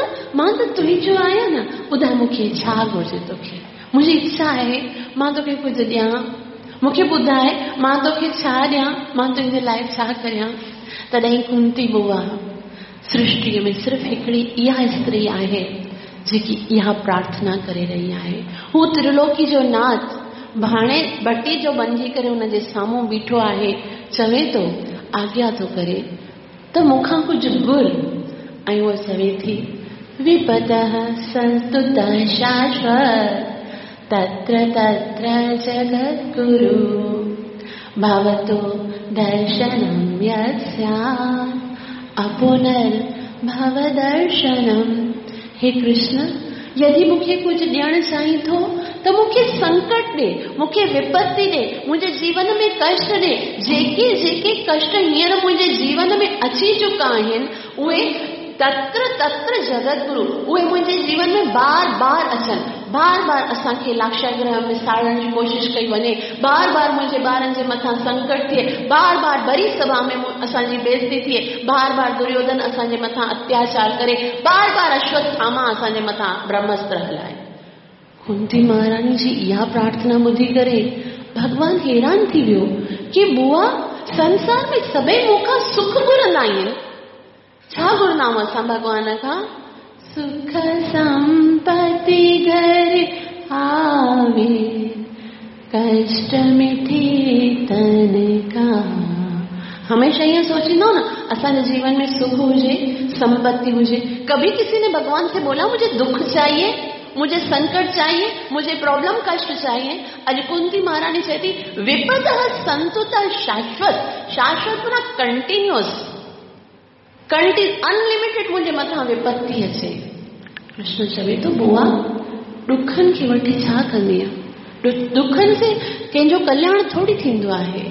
तुंहिंजो आहियां न, ॿुधाए मूंखे छा घुरिजे तोखे, मुंहिंजी इच्छा आहे मां तोखे कुझु ॾियां, मूंखे ॿुधाए मां तोखे छा ॾियां, मां तुंहिंजे लाइ छा करियां। तॾहिं कुंती बुआ, सृष्टीअ में सिर्फ़ हिकिड़ी इहा स्त्री आहे जेकी इहा प्रार्थना करे रही आहे। हू त्रिलोकी जो नाथ भाणे भटी जो बणिजी करे हुनजे साम्हूं बीठो आहे, चवे थो, आज्ञा थो करे त मूंखां कुझु घुर। ऐं उहा चवे थी, विपदः संस्तुतः शाश्वत तत्र तत्र जगद्गुरु भवतो दर्शनं यत् स्यात् अपुनर्भवदर्शनम्। हे कृष्ण, यदि मूंखे कुझु ॾियणु चाहीं थो त मूंखे संकट ॾे, मूंखे विपत्ति ॾे, मुंहिंजे जीवन में कष्ट ॾे। जेके जेके कष्ट हींअर मुंहिंजे जीवन में अची चुका आहिनि, उहे तत्र तत्र जगद्गुरु, उहे मुंहिंजे जीवन में बार बार अचनि, बार बार असांखे लाक्षागृह में साड़ण जी कोशिशि कई वञे, बार बार मुंहिंजे ॿारनि जे मथां संकट थिए, बार बार बरी सभा में असांजी बेइज़ती थिए, बार बार दुर्योधन असांजे मथां अत्याचार करे, बार बार अश्वत्थामा असांजे मथां ब्रह्मास्त्र हलाए। कुंती महारानी जी इहा प्रार्थना ॿुधी करे भॻवान हैरान थी वियो की बुआ, संसार में सभई मूंखां सुख घुरंदा आहिनि। छा घुरंदा आहियूं असां भॻवान खां? सुख संपत्ति घर आवे, कष्ट मिठे तन का। हमेशा ईअं सोचींदो न, असांजे जीवन में सुख हुजे, संपत्ति हुजे। कभी किसी ने भगवान से बोला मुझे दुख चाहिए, मुझे संकट चाहिए, मुझे प्रॉब्लम कष्ट चाहिए? अॼु कुंती महारानी चए थी विपद संतु त शाश्वत, शाश्वत माना कंटिन्यूअस, अनलिमिटेड मुंहिंजे मथां विपत्ति अचे। कृष्ण चवे थो बुआ ॾुखनि खे वठी छा कंदीअ? ॾुखनि से कंहिंजो कल्याण थोरी थींदो आहे।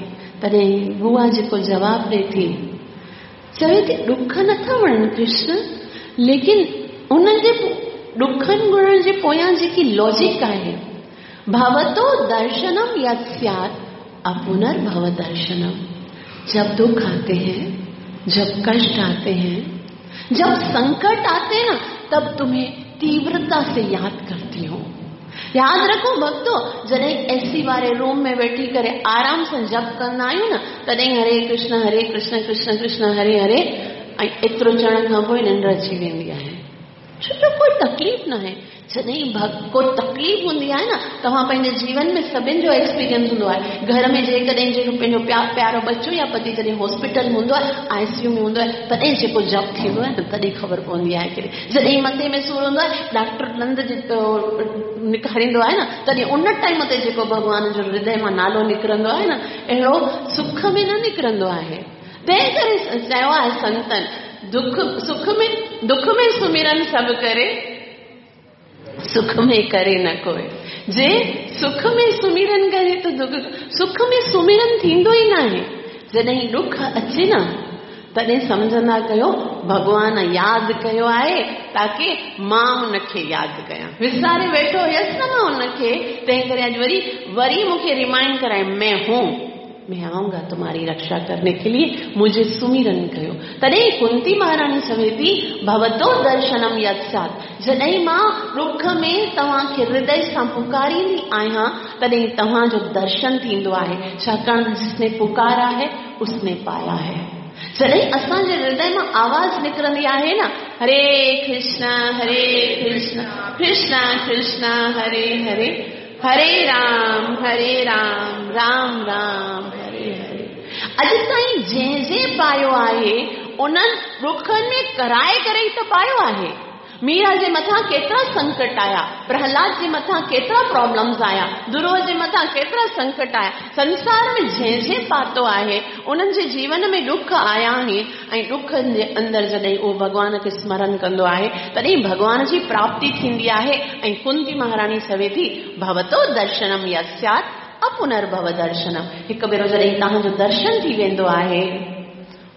तॾहिं बुआ जेको जवाबु ॾिए थी, चवे थी ॾुख नथा वणनि कृष्ण, लेकिन उनजे ॾुखनि घुरण जे पोयां जेकी लॉजिक आहे, भवतो दर्शनम यत् स्यात् अपुनर्भव दर्शनम। जब दुख आते हैं, जब कष्ट आते हैं, जब संकट आते हैं ना, तब तुम्हें तीव्रता से याद करती हूँ। याद रखो भक्तो, जॾहिं एसी वारे रूम में वेठी करे आराम सां जप कंदा आहियूं न, तॾहिं हरे कृष्ण हरे कृष्ण कृष्ण कृष्ण हरे हरे, ऐं एतिरो चवण खां पोइ निंड अची वेंदी आहे। छो जो कोई तकलीफ़ न आहे। जॾहिं को तकलीफ़ हूंदी आहे न, तव्हां पंहिंजे जीवन में सभिनी जो एक्सपीरियंस हूंदो आहे। घर में जेकॾहिं जेको पंहिंजो प्यारो बच्चो या पति जॾहिं हॉस्पिटल में हूंदो आहे, आईसीयू में हूंदो आहे, तॾहिं जेको जप थींदो आहे न, तॾहिं ख़बर पवंदी आहे। कि जॾहिं मथे में सूर हूंदो आहे, डॉक्टर ॾंद जेको निकारींदो आहे न, तॾहिं उन टाइम ते जेको भॻवान जो हृदय मां नालो निकिरंदो आहे न, अहिड़ो सुख में न निकिरंदो आहे। तंहिं करे चयो आहे संतनि, दुख सुख में, दुख में सुमिरन सभु करे, सुख में करे न कोई। जे सुख में सुमिरन करे त दुख, सुख में सुमिरन थींदो ई न आहे। जॾहिं ॾुख अचे न, तॾहिं सम्झंदा कयो भॻवान यादि कयो आहे, ताकी मां हुनखे यादि कयां। विसारे वेठो हुयसि न मां हुनखे, तंहिं करे अॼु वरी वरी मूंखे रिमाइंड कराए, मैं हूँ, मैं आऊंगा तुम्हारी रक्षा करने के लिए, मुझे सुमिरन कयो। तॾहिं कुंती महारानी चवे थी भवतो दर्शनम यत् स्यात्। जॾहिं मां ॾुख में तव्हांखे हृदय सां पुकारींदी आहियां, तॾहिं तव्हांजो दर्शन थींदो आहे, छाकाणि जिसने पुकारा है उसने पाया है। जॾहिं असांजे हृदय मां आवाज़ निकिरंदी आहे न, हरे कृष्ण हरे कृष्ण कृष्ण कृष्ण हरे हरे, हरे राम हरे राम राम राम हरे हरे, अॼु ताईं जंहिं जंहिं पायो आहे उन्हनि ॾुखनि में कराए करे ई त पायो आहे। मीरा जे मथां केतिरा संकट आया, प्रहलाद जे मथां केतिरा प्रॉब्लम्स आया, ध्रुव जे मथां केतिरा संकट आया। संसार में जंहिं जंहिं पातो आहे उन्हनि जे जीवन में ॾुख आया आहिनि, ऐं ॾुखनि जे अंदरि जॾहिं उहो भॻवान खे स्मरण कंदो आहे, तॾहिं भॻवान जी प्राप्ति थींदी आहे। ऐं कुंती महारानी चवे थी भवतो दर्शनम यत् स्यात् अपुनर्भव दर्शनम। हिकु भेरो जॾहिं तव्हांजो दर्शन थी वेंदो आहे,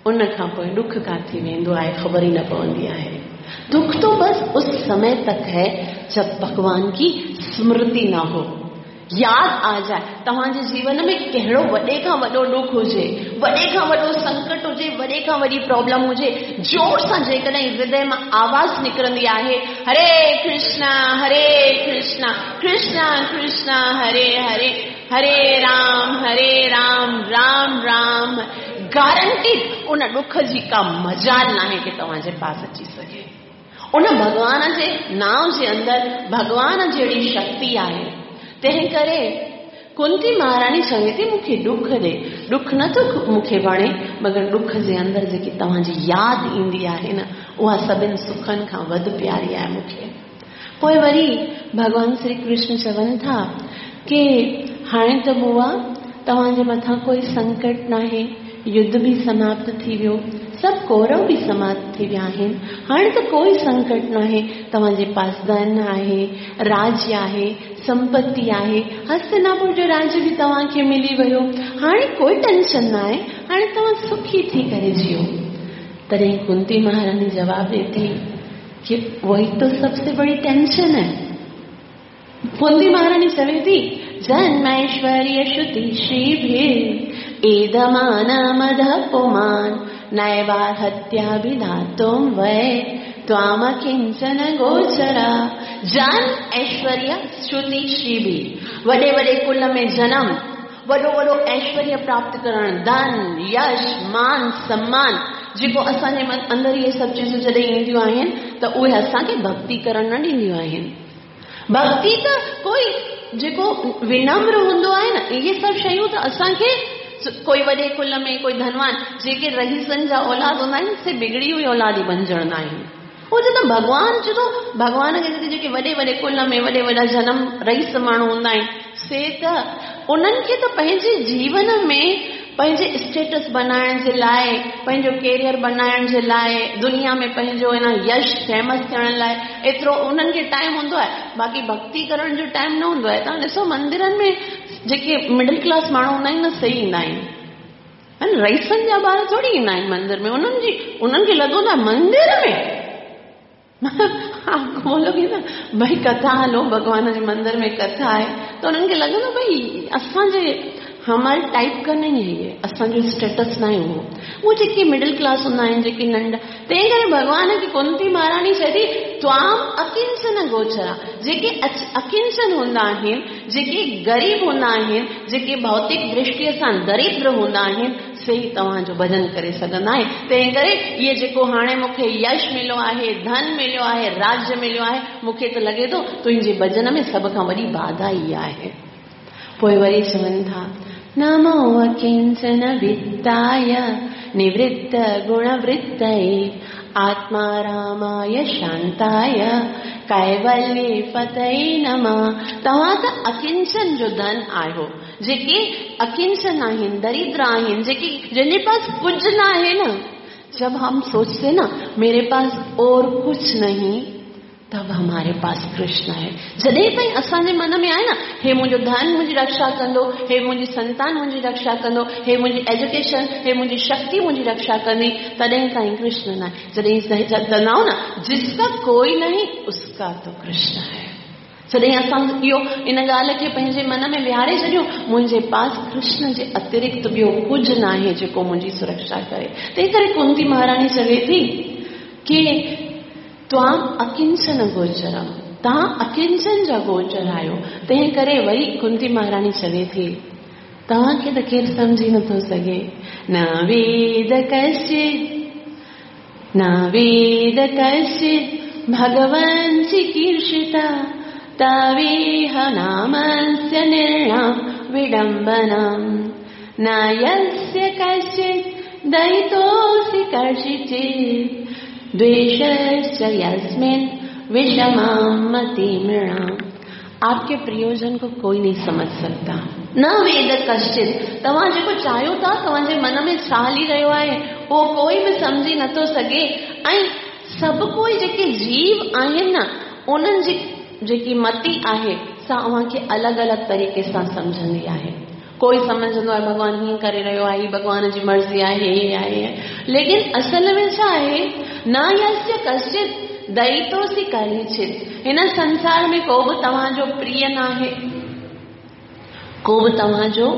उन खां पोइ ॾुख किथे वेंदो आहे ख़बर ई न पवंदी आहे। दुख तो बस उस समय तक है जब भगवान की स्मृति ना हो, याद आ जाए। तव्हांजे जीवन में कहिड़ो वॾे खां वॾो ॾुख हुजे, वॾे खां वॾो संकट हुजे, वॾे खां वॾी प्रॉब्लम हुजे, ज़ोर सां जेकॾहिं हृदय मां आवाज़ निकिरंदी आहे हरे कृष्णा हरे कृष्णा कृष्णा कृष्णा हरे हरे, हरे राम हरे राम राम राम, गारंटी उन ॾुख जी का मजाल नाहे की तव्हांजे पास अची सघे। उन भॻवान जे नांव जे अंदरि भॻवान जहिड़ी शक्ति आहे। तंहिं करे कुंती महारानी चवे थी मूंखे ॾुख ॾे, ॾुख नथो मूंखे वणे, मगर ॾुख जे अंदरि जेकी तव्हांजी यादि ईंदी आहे न, उहा सभिनी सुखनि खां वधि प्यारी आहे मूंखे। पोइ वरी भॻवान श्री कृष्ण चवनि था की हाणे त बुआ तव्हांजे मथां कोई संकट नाहे, युद्ध बि समाप्त थी वियो, सभु कौरव बि समाप्त थी विया आहिनि, हाणे त कोई संकट नाहे, तव्हांजे पास धन आहे, राज्य आहे, संपत्ति आहे, हस्तिनापुर जो राज्य बि तव्हांखे मिली वियो, हाणे कोई टेंशन न आहे, हाणे तव्हां सुखी थी करे जियो। तॾहिं कुंती महारानी जवाब ॾिए थी कि वही तो सबसे बड़ी टेंशन है। कुंती महारानी चवे थी जन्मैश्वर्य श्रुति श्रीभिर् एदमान मद पुमान नैवार्हत्याभिधातुं वै त्वाम किंचन गोचरा। जन्म ऐश्वर्य श्रुति श्रीभिः, वॾे वॾे कुल में जन्म, वॾो वॾो ऐश्वर्य प्राप्त करणु, धन, यश, मान, सम्मान, जेको असांजे अंदरि इहे सभु चीज़ूं जॾहिं ईंदियूं आहिनि त उहे असांखे भक्ति करणु न ॾींदियूं आहिनि। भक्ति त कोई जेको विनम्र हूंदो आहे न, इहे सभु शयूं त असांखे कोई वॾे कुल में, कोई धनवान, जेके रईसनि जा औलाद हूंदा आहिनि, से बिगड़ी हुई औलाद ई बणजंदा आहिनि। उहो चए थो भॻवान चए थो, भॻवान खे जेके वॾे वॾे कुल में वॾे वॾा जनम रईस माण्हू हूंदा आहिनि, से त उन्हनि खे त पंहिंजे जीवन में पंहिंजे स्टेटस बनाइण जे लाइ, पंहिंजो कैरियर बनाइण जे लाइ, दुनिया में पंहिंजो इन यश फेमस थियण लाइ एतिरो उन्हनि खे टाइम हूंदो आहे, बाक़ी भक्ति करण जो टाइम न हूंदो आहे। तव्हां ॾिसो मंदिरनि में जेके मिडिल क्लास माण्हू हूंदा आहिनि न, सही ईंदा आहिनि, हा न, रईसनि जा ॿार थोरी ईंदा आहिनि मंदिर में। उन्हनि खे लॻंदो आहे मंदिर में आपको बोलोगे ना भाई कथा हलो, भॻवान जे मंदिर में कथा आहे, त उन्हनि खे लॻंदो भई असांजे हमारे टाइप का नहीं है ये, असांजो स्टेटस न आहे उहो। उहो जेके मिडिल क्लास हूंदा आहिनि, जेके नंढा, तंहिं करे भॻवान खे कुंती महाराणी चए थी त्वाम अकिंचन गोचरा, जेके अकिंचन हूंदा आहिनि, जेके ग़रीब हूंदा आहिनि, जेके भौतिक दृष्टीअ सां दरिद्र हूंदा आहिनि, से ई तव्हांजो भॼन करे सघंदा आहिनि। तंहिं करे इहो जेको हाणे मूंखे यश मिलियो आहे, धन मिलियो आहे, राज्य मिलियो आहे, मूंखे त लॻे थो तुंहिंजे भॼन में सभ खां वॾी बाधा इहा आहे। पोइ वरी चवनि था नमो अकिंचन वित्ताय निवृत्त गुणवृत्तये आत्मा रामाय शांताय कैवल्य फतये नमः। तव्हां त अकिंचन जो धन आहियो, जेके अकिंचन आहिनि, दरिद्र आहिनि, जेके जंहिंजे पास कुझु न आहे न। जब हम सोचते ना मेरे पास और कुछ नहीं, तब हमारे पास कृष्ण है। जॾहिं ताईं असांजे मन में आहे न, हे मुंहिंजो धन मुंहिंजी रक्षा कंदो, हे मुंहिंजी संतान मुंहिंजी रक्षा कंदो, हे मुंहिंजी एजुकेशन, हे मुंहिंजी शक्ति मुंहिंजी रक्षा कंदी, तॾहिं ताईं कृष्ण न आहे। जॾहिं चवंदा आहियूं न जिसका कोई नहीं उसका तो कृष्ण है। जॾहिं असां इहो इन ॻाल्हि खे पंहिंजे मन में विहारे छॾियूं, मुंहिंजे पास कृष्ण जे अतिरिक्त ॿियो कुझु न आहे जेको मुंहिंजी सुरक्षा करे। तंहिं करे कुंती महाराणी चवे थी की त्वाम अकिंचन गोचरम, तव्हां अकिंचन जा गोचर आहियो। तंहिं करे वरी कुंती महाराणी चवे थी तव्हांखे त केरु सम्झी नथो सघे। न वेद कश्चित्, न वेद कश्चित् भगवन् चिकीर्षिता तवेह नामस्य निर्णां विडम्बनम् न यस्य कश्चित् दयितोऽसि कर्षिचित् द्वेषश्च यस्मिन् विषमां मतिमृणाम्। आपके प्रियोजन को कोई नहीं समझ सकता। न वेद कश्चित्, तव्हां जेको चाहियो था, तव्हांजे मन में छा हली रहियो आहे, उहो कोई बि सम्झी नथो सघे। ऐं सभु कोई जेके जीव आहिनि न, उन्हनि जी जेकी मति आहे सा अव्हांखे अलॻि अलॻि तरीक़े सां सम्झंदी आहे। कोई सम्झंदो आहे भॻवान हीअं करे रहियो आहे, भॻवान जी मर्ज़ी आहे, हे आहे, लेकिन असल में छा आहे, न यस्य कश्चित् दयितोऽसि कदाचित्। हिन संसार में को बि तव्हांजो प्रिय न आहे, को बि तव्हांजो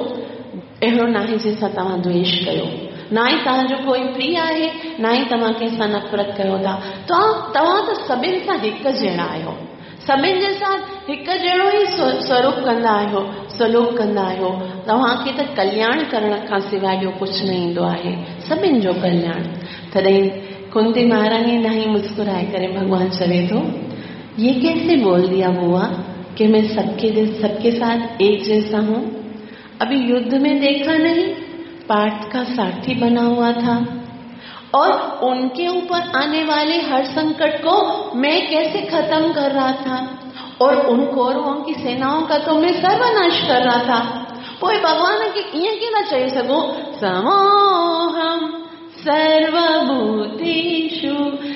अहिड़ो न आहे जंहिंसां तव्हां द्वेष कयो, न ई तव्हांजो कोई प्रिय आहे, न ई तव्हां कंहिंसां नफ़रत कयो था। तव्हां त सभिनी सां हिकु जहिड़ा आहियो, सभिनी जे साथ हिकु जहिड़ो ई स्वरूप कंदा आहियो, सलूक कंदा आहियो। तव्हांखे त कल्याण करण खां सवाइ ॿियो कुझु न ईंदो आहे, सभिनी जो कल्याण। तॾहिं कुंती महारानी ॾांहुं मुस्कुराए करे भॻवान चवे थो, ये कैसे बोल दिया बुआ कि मैं सबके साथ एक जैसा हूँ? अभी युद्ध में देखा नहीं, पार्थ का सारथी बना हुआ था और उनके ऊपर आने वाले हर संकट को मैं कैसे खत्म कर रहा था, और उन कौरवों की सेनाओं का तो मैं सर्वनाश कर रहा था। पोइ भॻवान खे ईअं कीअं था चई सघूं? समोहम सर्वभूतेषु,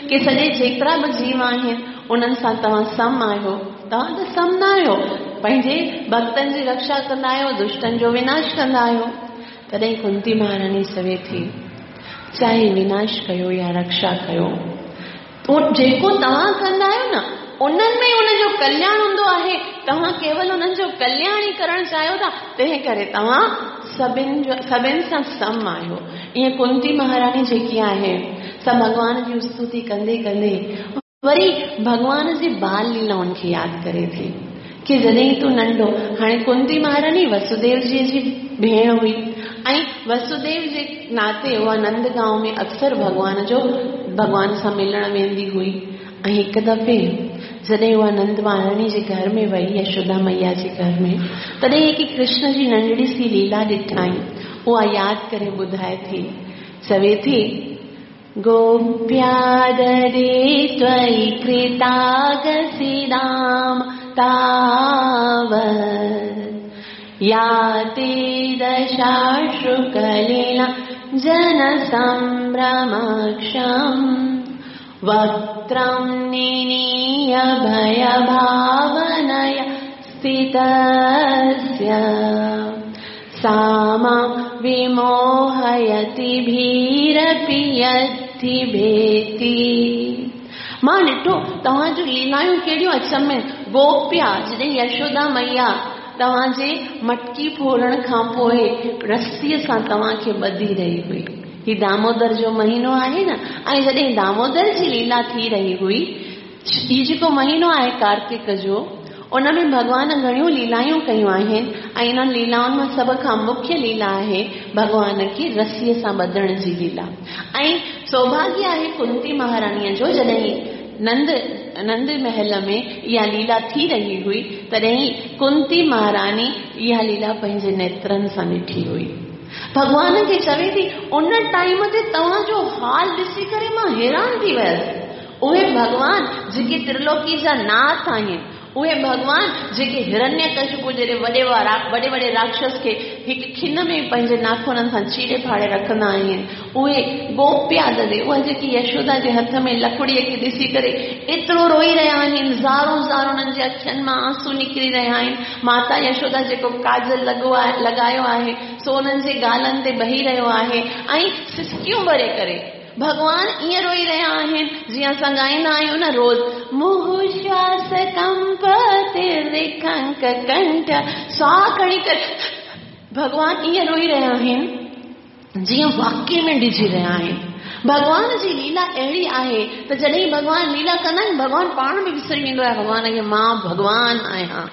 के सॼे जेतिरा बि जीव आहिनि उन्हनि सां तव्हां सम आहियो। तव्हां त सम न आहियो, पंहिंजे भक्तनि जी रक्षा कंदा आहियो, दुष्टनि जो विनाश कंदा आहियो। तॾहिं कुंती महाराणी चवे थी, चाहे विनाश कयो या रक्षा कयो, जेको तव्हां कंदा आहियो न, उन्हनि में उनजो कल्याण हूंदो आहे। तव्हां केवल उन्हनि जो कल्याण ई करणु चाहियो था, तंहिं करे तव्हां सभिनी सां सम आहियो। ईअं कुंती महाराणी जेकी आहे सा भॻवान जी स्तुति कंदे कंदे वरी भॻवान जी बाल लीलाउनि खे यादि करे थी की जॾहिं तूं नंढो, हाणे कुंती महारानी वसुदेव जी जी भेण हुई ऐं वसुदेव जे नाते उहा नंदगांव में अक्सर भॻवान सां मिलण वेंदी हुई। ऐं हिकु दफ़े जॾहिं उहा नंद महारानी जे घर में वई, यशोदा मैया जे घर में, तॾहिं हिकु कृष्ण जी नंढड़ी सी लीला ॾिठाई। उहा यादि करे ॿुधाए थी, चवे थी गोप्यादरे त्वयि कृतागसिदाम तावत् याति दशाश्रुकलिला जनसंभ्रमक्षम् वक्त्रं निनीय भयभावनया स्थितस्य सा मां विमोहयति भीरपि यद्धि भेति। मां ॾिठो तव्हांजूं लीलायूं कहिड़ियूं अचम में। गोप्या जॾहिं यशोदा मैया तव्हांजे मटकी फोड़ण खां पोइ रसीअ सां तव्हांखे ॿधी रही हुई। ही दामोदर जो महीनो आहे न, ऐं जॾहिं दामोदर जी लीला थी रही हुई, हीउ जेको महीनो आहे कार्तिक जो, उन में भॻवान घणियूं लीलायूं कयूं आहिनि ऐं इन्हनि लीलाउनि मां सभ खां मुख्य लीला आहे भॻवान खे रसीअ सां ॿधण जी लीला। ऐं सौभाग्य आहे कुंती महाराणीअ जो, जॾहिं नंद महल में इहा लीला थी रही हुई, तॾहिं कुंती महारानी इहा लीला पंहिंजे नेत्रनि सां ॾिठी हुई। भॻवान खे चवे थी उन टाइम ते तव्हांजो हाल ॾिसी करे मां हैरान थी वियसि। उहे भॻवान जेके त्रिलोकी जा नाथ आहिनि, उहे भॻवान जेके हिरण्यकशिपु जहिड़े वॾे वॾे राक्षस खे हिकु खिन में पंहिंजे नाखूननि सां चीरे फाड़े रखंदा आहिनि, उहे गोप्या ददे, उहा जेकी यशोदा जे हथ में लकड़ीअ खे ॾिसी करे एतिरो रोई रहिया आहिनि, ज़ारो ज़ारो उन्हनि जे अखियुनि मां आंसू निकिरी रहिया आहिनि। माता यशोदा जेको काजल लॻायो आहे सो उन्हनि जे गालनि ते बही रहियो आहे ऐं सिसकियूं भरे करे भॻवान ईअं रोई रहिया आहिनि जीअं असां ॻाईंदा आहियूं न रोज़, मुहु श्वास कंपतिर्विखंक कंठ, साह खणी करे भॻवान ईअं रोई रहिया आहिनि जीअं वाकई में डिॼी रहिया आहिनि। भॻवान जी लीला अहिड़ी आहे त जॾहिं भॻवान लीला कंदा आहिनि, भॻवान पाण बि विसरी वेंदो आहे भॻवान खे, मां भॻवान आहियां,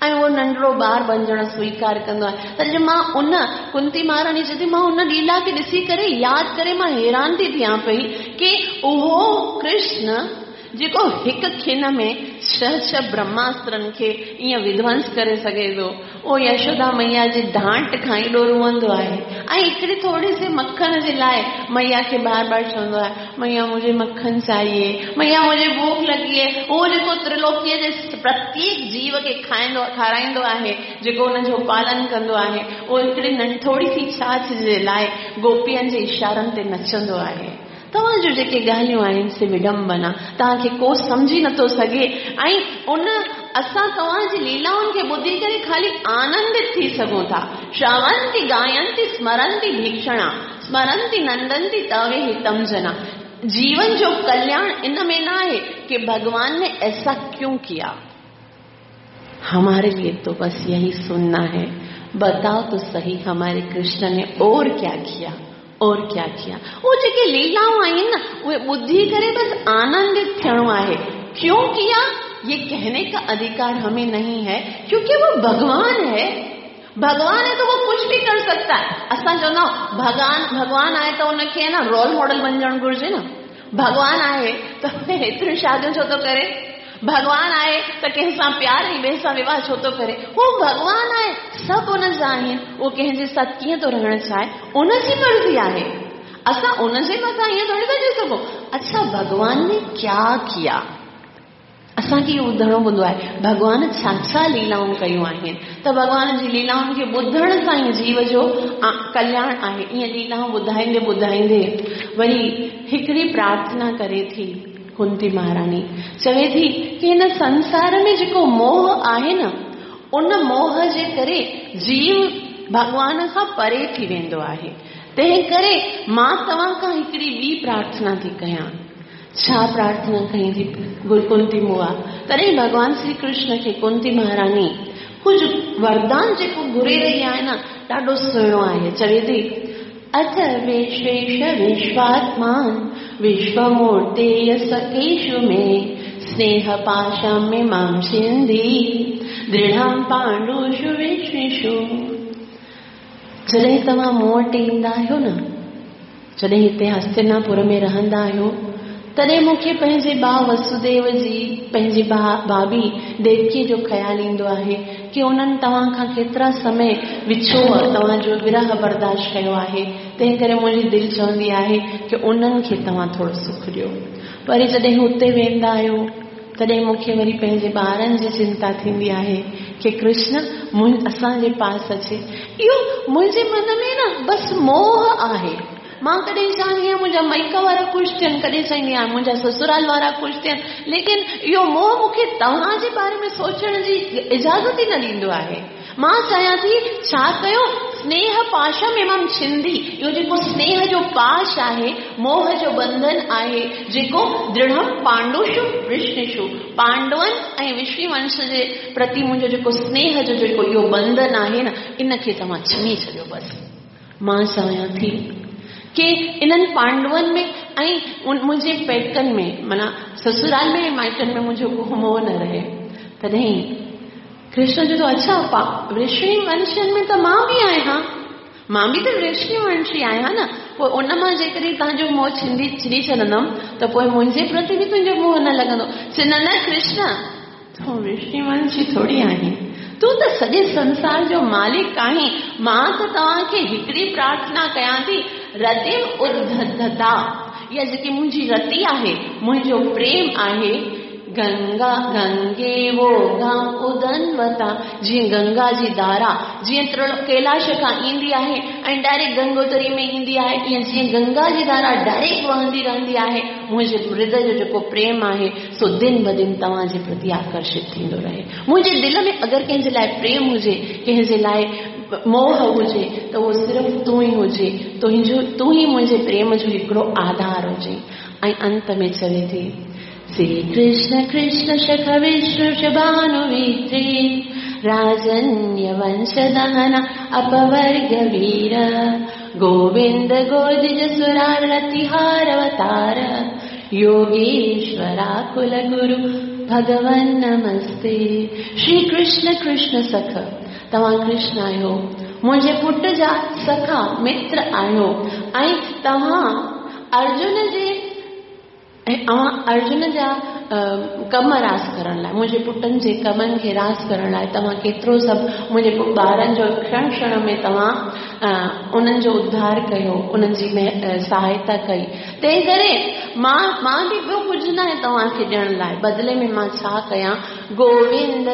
ऐं उहो नंढड़ो ॿार बणिजण स्वीकार कंदो आहे। त मां उन कुंती महारानी चए थी, मां उन लीला खे ॾिसी करे यादि करे मां हैरान थी थियां पई की उहो कृष्ण जेको हिकु खिन में छह छह ब्रह्मास्त्रनि खे ईअं विध्वंस करे सघे थो, उहो यशोदा मैया जी डांट खां एॾो रुअंदो आहे ऐं हिकिड़ी थोरी सी मखण जे लाइ मैया खे बार बार चवंदो आहे, मैया मुझे मखन चाहिए, मैया मुझे भूख लॻी आहे। उहो जेको त्रिलोकीअ जे प्रत्येक जीव खे खाराईंदो आहे, जेको हुनजो पालन कंदो आहे, उहो हिकिड़ी थोरी सी छाछ जे लाइ गोपियनि जे इशारनि ते नचंदो आहे। तव्हांजूं जेके ॻाल्हियूं आहिनि से विडंबना, तव्हांखे को सम्झी नथो सघे ऐं उन असां तव्हांजी लीलाउनि खे ॿुधी करे ख़ाली आनंदित थी सघूं था। श्रवंती गायंती स्मरंती भीक्षणा स्मरंती नंदंती तवे हितम जना। जीवन जो कल्याण इन में न आहे कि भगवान ने ऐसा क्यों किया, हमारे लिए तो बस यही सुनना है, बताओ तो सही हमारे कृष्ण ने और क्या किया, और क्या किया। उहे जेके लीलाऊं आहिनि न, उहे ॿुधी करे बसि आनंदित थियणो आहे। क्यों किया ये कहने का अधिकार हमें नहीं है, क्योंकि वो भगवान है। भगवान है तो वो कुछ भी कर सकता है। असां चवंदा आहियूं भॻवान आहे त उनखे न रोल मॉडल बणिजणु घुरिजे न। भॻवान आहे त एतिरियूं शादियूं छो थो करे, भॻवान आहे त कंहिं सां प्यार ऐं ॿिए सां विवाह छो थो करे। हू भॻवान आहे, सभु उनजा आहिनि, उहो कंहिंजे साथ कीअं थो रहणु चाहे उनजी मर्ज़ी आहे। असां उनजे मथां ईअं थोरी था चई सघूं अच्छा भॻवान ने क्या किया। असांखे इहो ॿुधणो पवंदो आहे भॻवान छा छा लीलाऊं कयूं आहिनि, त भॻवान जी लीलाउनि खे ॿुधण सां ई जीव जो कल्याण आहे। ईअं लीलाऊं ॿुधाईंदे ॿुधाईंदे वरी हिकिड़ी प्रार्थना करे थी कुंती महारानी, चवे थी की हिन संसार में जेको मोह आहे न, उन मोह जे करे जीव भॻवान खां परे थी वेंदो आहे। तंहिं करे मां तव्हां खां हिकिड़ी ॿी प्रार्थना थी कयां। छा प्रार्थना कई थी कुंती मुआ? तॾहिं भॻवान श्री कृष्ण खे कुंती महारानी कुझु वरदान जेको घुरे रही आहे न, ॾाढो सुहिणो आहे। चवे थी अथ विश्वेश विश्वात्मान विश्वमूर्तेय सखेषु मे स्नेह पाशं मां छिन्धि दृढं पाण्डुषु वृष्णिषु। जॾहिं तव्हां मूं वटि ईंदा आहियो न, जॾहिं हिते हस्तिनापुर में रहंदा आहियो, तॾहिं मूंखे पंहिंजे भाउ वसुदेव जी, पंहिंजी भाभी देवकीअ जो ख़्यालु ईंदो आहे की उन्हनि तव्हां खां केतिरा समय विछोह, तव्हांजो विरह बर्दाश्त कयो आहे। तंहिं करे मुंहिंजी दिलि चवंदी आहे की उन्हनि खे तव्हां थोरो सुख ॾियो। वरी जॾहिं हुते वेंदा आहियो तॾहिं मूंखे वरी पंहिंजे ॿारनि जी चिंता थींदी आहे की कृष्ण असांजे पास अचे। इहो मुंहिंजे मन में न बसि मोह आहे। मां कॾहिं चाहंदी आहियाँ मुंहिंजा माइका वारा ख़ुशि थियनि, कॾहिं चाहींदी आहियाँ मुंहिंजा ससुराल वारा ख़ुशि थियनि, लेकिन इहो मोह मूंखे तव्हांजे बारे में सोचण जी इजाज़त ई न ॾींदो आहे। मां चाहियां थी छा कयो, स्नेह पाशम एवं छिंदी, इहो जेको स्नेह जो पाश आहे, मोह जो बंधन आहे, जेको दृढ़ पांडुषु वृष्णिषु, पांडवनि ऐं वृष्णिवंश जे प्रति मुंहिंजो जेको स्नेह जो जेको इहो बंधन आहे न, इन खे तव्हां छिनी छॾियो। बसि मां चाहियां थी की इन्हनि पांडवनि में ऐं मुंहिंजे पेकनि में, माना ससुराल में ऐं माइटनि में मुंहिंजो को मोह न रहे। तॾहिं कृष्ण जो अच्छा वृष्णि वंशन में त मां बि आहियाँ, मां बि त वृष्णि वंशी आहियाँ न, पोइ उन मां जेकॾहिं तव्हांजो मोह छिंदी छिनी छॾंदमि त पोइ मुंहिंजे प्रति बि तुंहिंजो मोह न लॻंदो। चए न न कृष्ण, तूं वृष्णि वंशी थोरी आहीं, तूं त सॼे संसार जो मालिक आहीं। मां त तव्हांखे हिकिड़ी प्रार्थना कयां थी, रतिम उद्धता, या जेकी मुंहिंजी रति आहे, मुंहिंजो प्रेम आहे, गंगा गंगे वो गां उदनवता, जीअं गंगा जी धारा जीअं कैलाश खां ईंदी आहे ऐं डायरेक्ट गंगोत्री में ईंदी आहे, ईअं जीअं गंगा जी धारा डायरेक्ट वहंदी रहंदी आहे, मुंहिंजे हृदय जो जेको प्रेम आहे सो दिन ब दिन तव्हांजे प्रति आकर्षित थींदो रहे। मुंहिंजे दिलि में अगरि कंहिंजे लाइ प्रेम हुजे, कंहिंजे लाइ मोह हुजे, त उहो सिर्फ़ु तूं ई हुजे, तुंहिंजो तूं ई मुंहिंजे प्रेम जो हिकिड़ो आधार हुजे। ऐं अंत में चवे थी, श्री कृष्ण कृष्ण शख विष्णु शभानुवित्रे राजन्य वंश दहन अपवर्ग वीर गोविंद गोदिज सुरारतिहारवतार योगेश्वरा कुल गुरु भगवन् नमस्ते। श्री कृष्ण कृष्ण सख, तव्हां कृष्ण आहियो, मुंहिंजे पुट जा सखा मित्र आहियो, ऐं तव्हां अर्जुन जे अर्जुन जा कम रास करण लाइ, मुंहिंजे पुटनि जे कमनि खे रास करण लाइ तव्हां केतिरो सभु मुंहिंजे ॿारनि जो क्षण क्षण में तव्हां उन्हनि जो उद्धार कयो, उन्हनि जी सहायता कई। तंहिं करे मां मां बि ॿियो कुझु न आहे तव्हांखे ॾियण लाइ, बदिले में मां छा कयां, गोविंद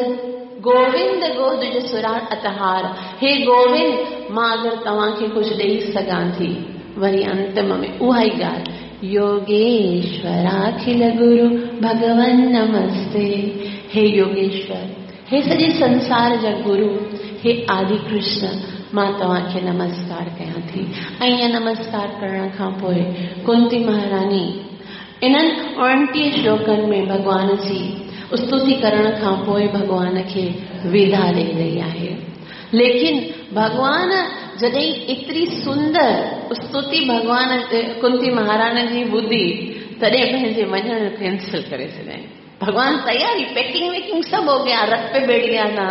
गोविंद गोद सुरार अतहार, हे गोविंद मां अगरि तव्हांखे कुझु ॾेई सघां थी। वरी अंतिम में उहा ई ॻाल्हि, योगेश्वराखिल गुरु भगवन् नमस्ते। हे योगेश्वर, हे सॼे संसार जा गुरु, हे आदि कृष्ण, मां तव्हांखे नमस्कार कयां थी। ऐं ईअं नमस्कार करण खां पोइ कुंती महारानी इन्हनि 29 श्लोकनि में भॻवान जी स्तुति करण खां पोइ भॻवान खे विदा ॾेई रही आहे। लेकिन भॻवान जॾहिं एतिरी सुंदर स्तुति भॻवान कुंती महारानी जी ॿुधी, तॾहिं पंहिंजे वञण कैंसिल करे छॾियईं। भगवान तैयारी, पैकिंग वैकिंग सब हो गया, रथ पे बैठ गया था,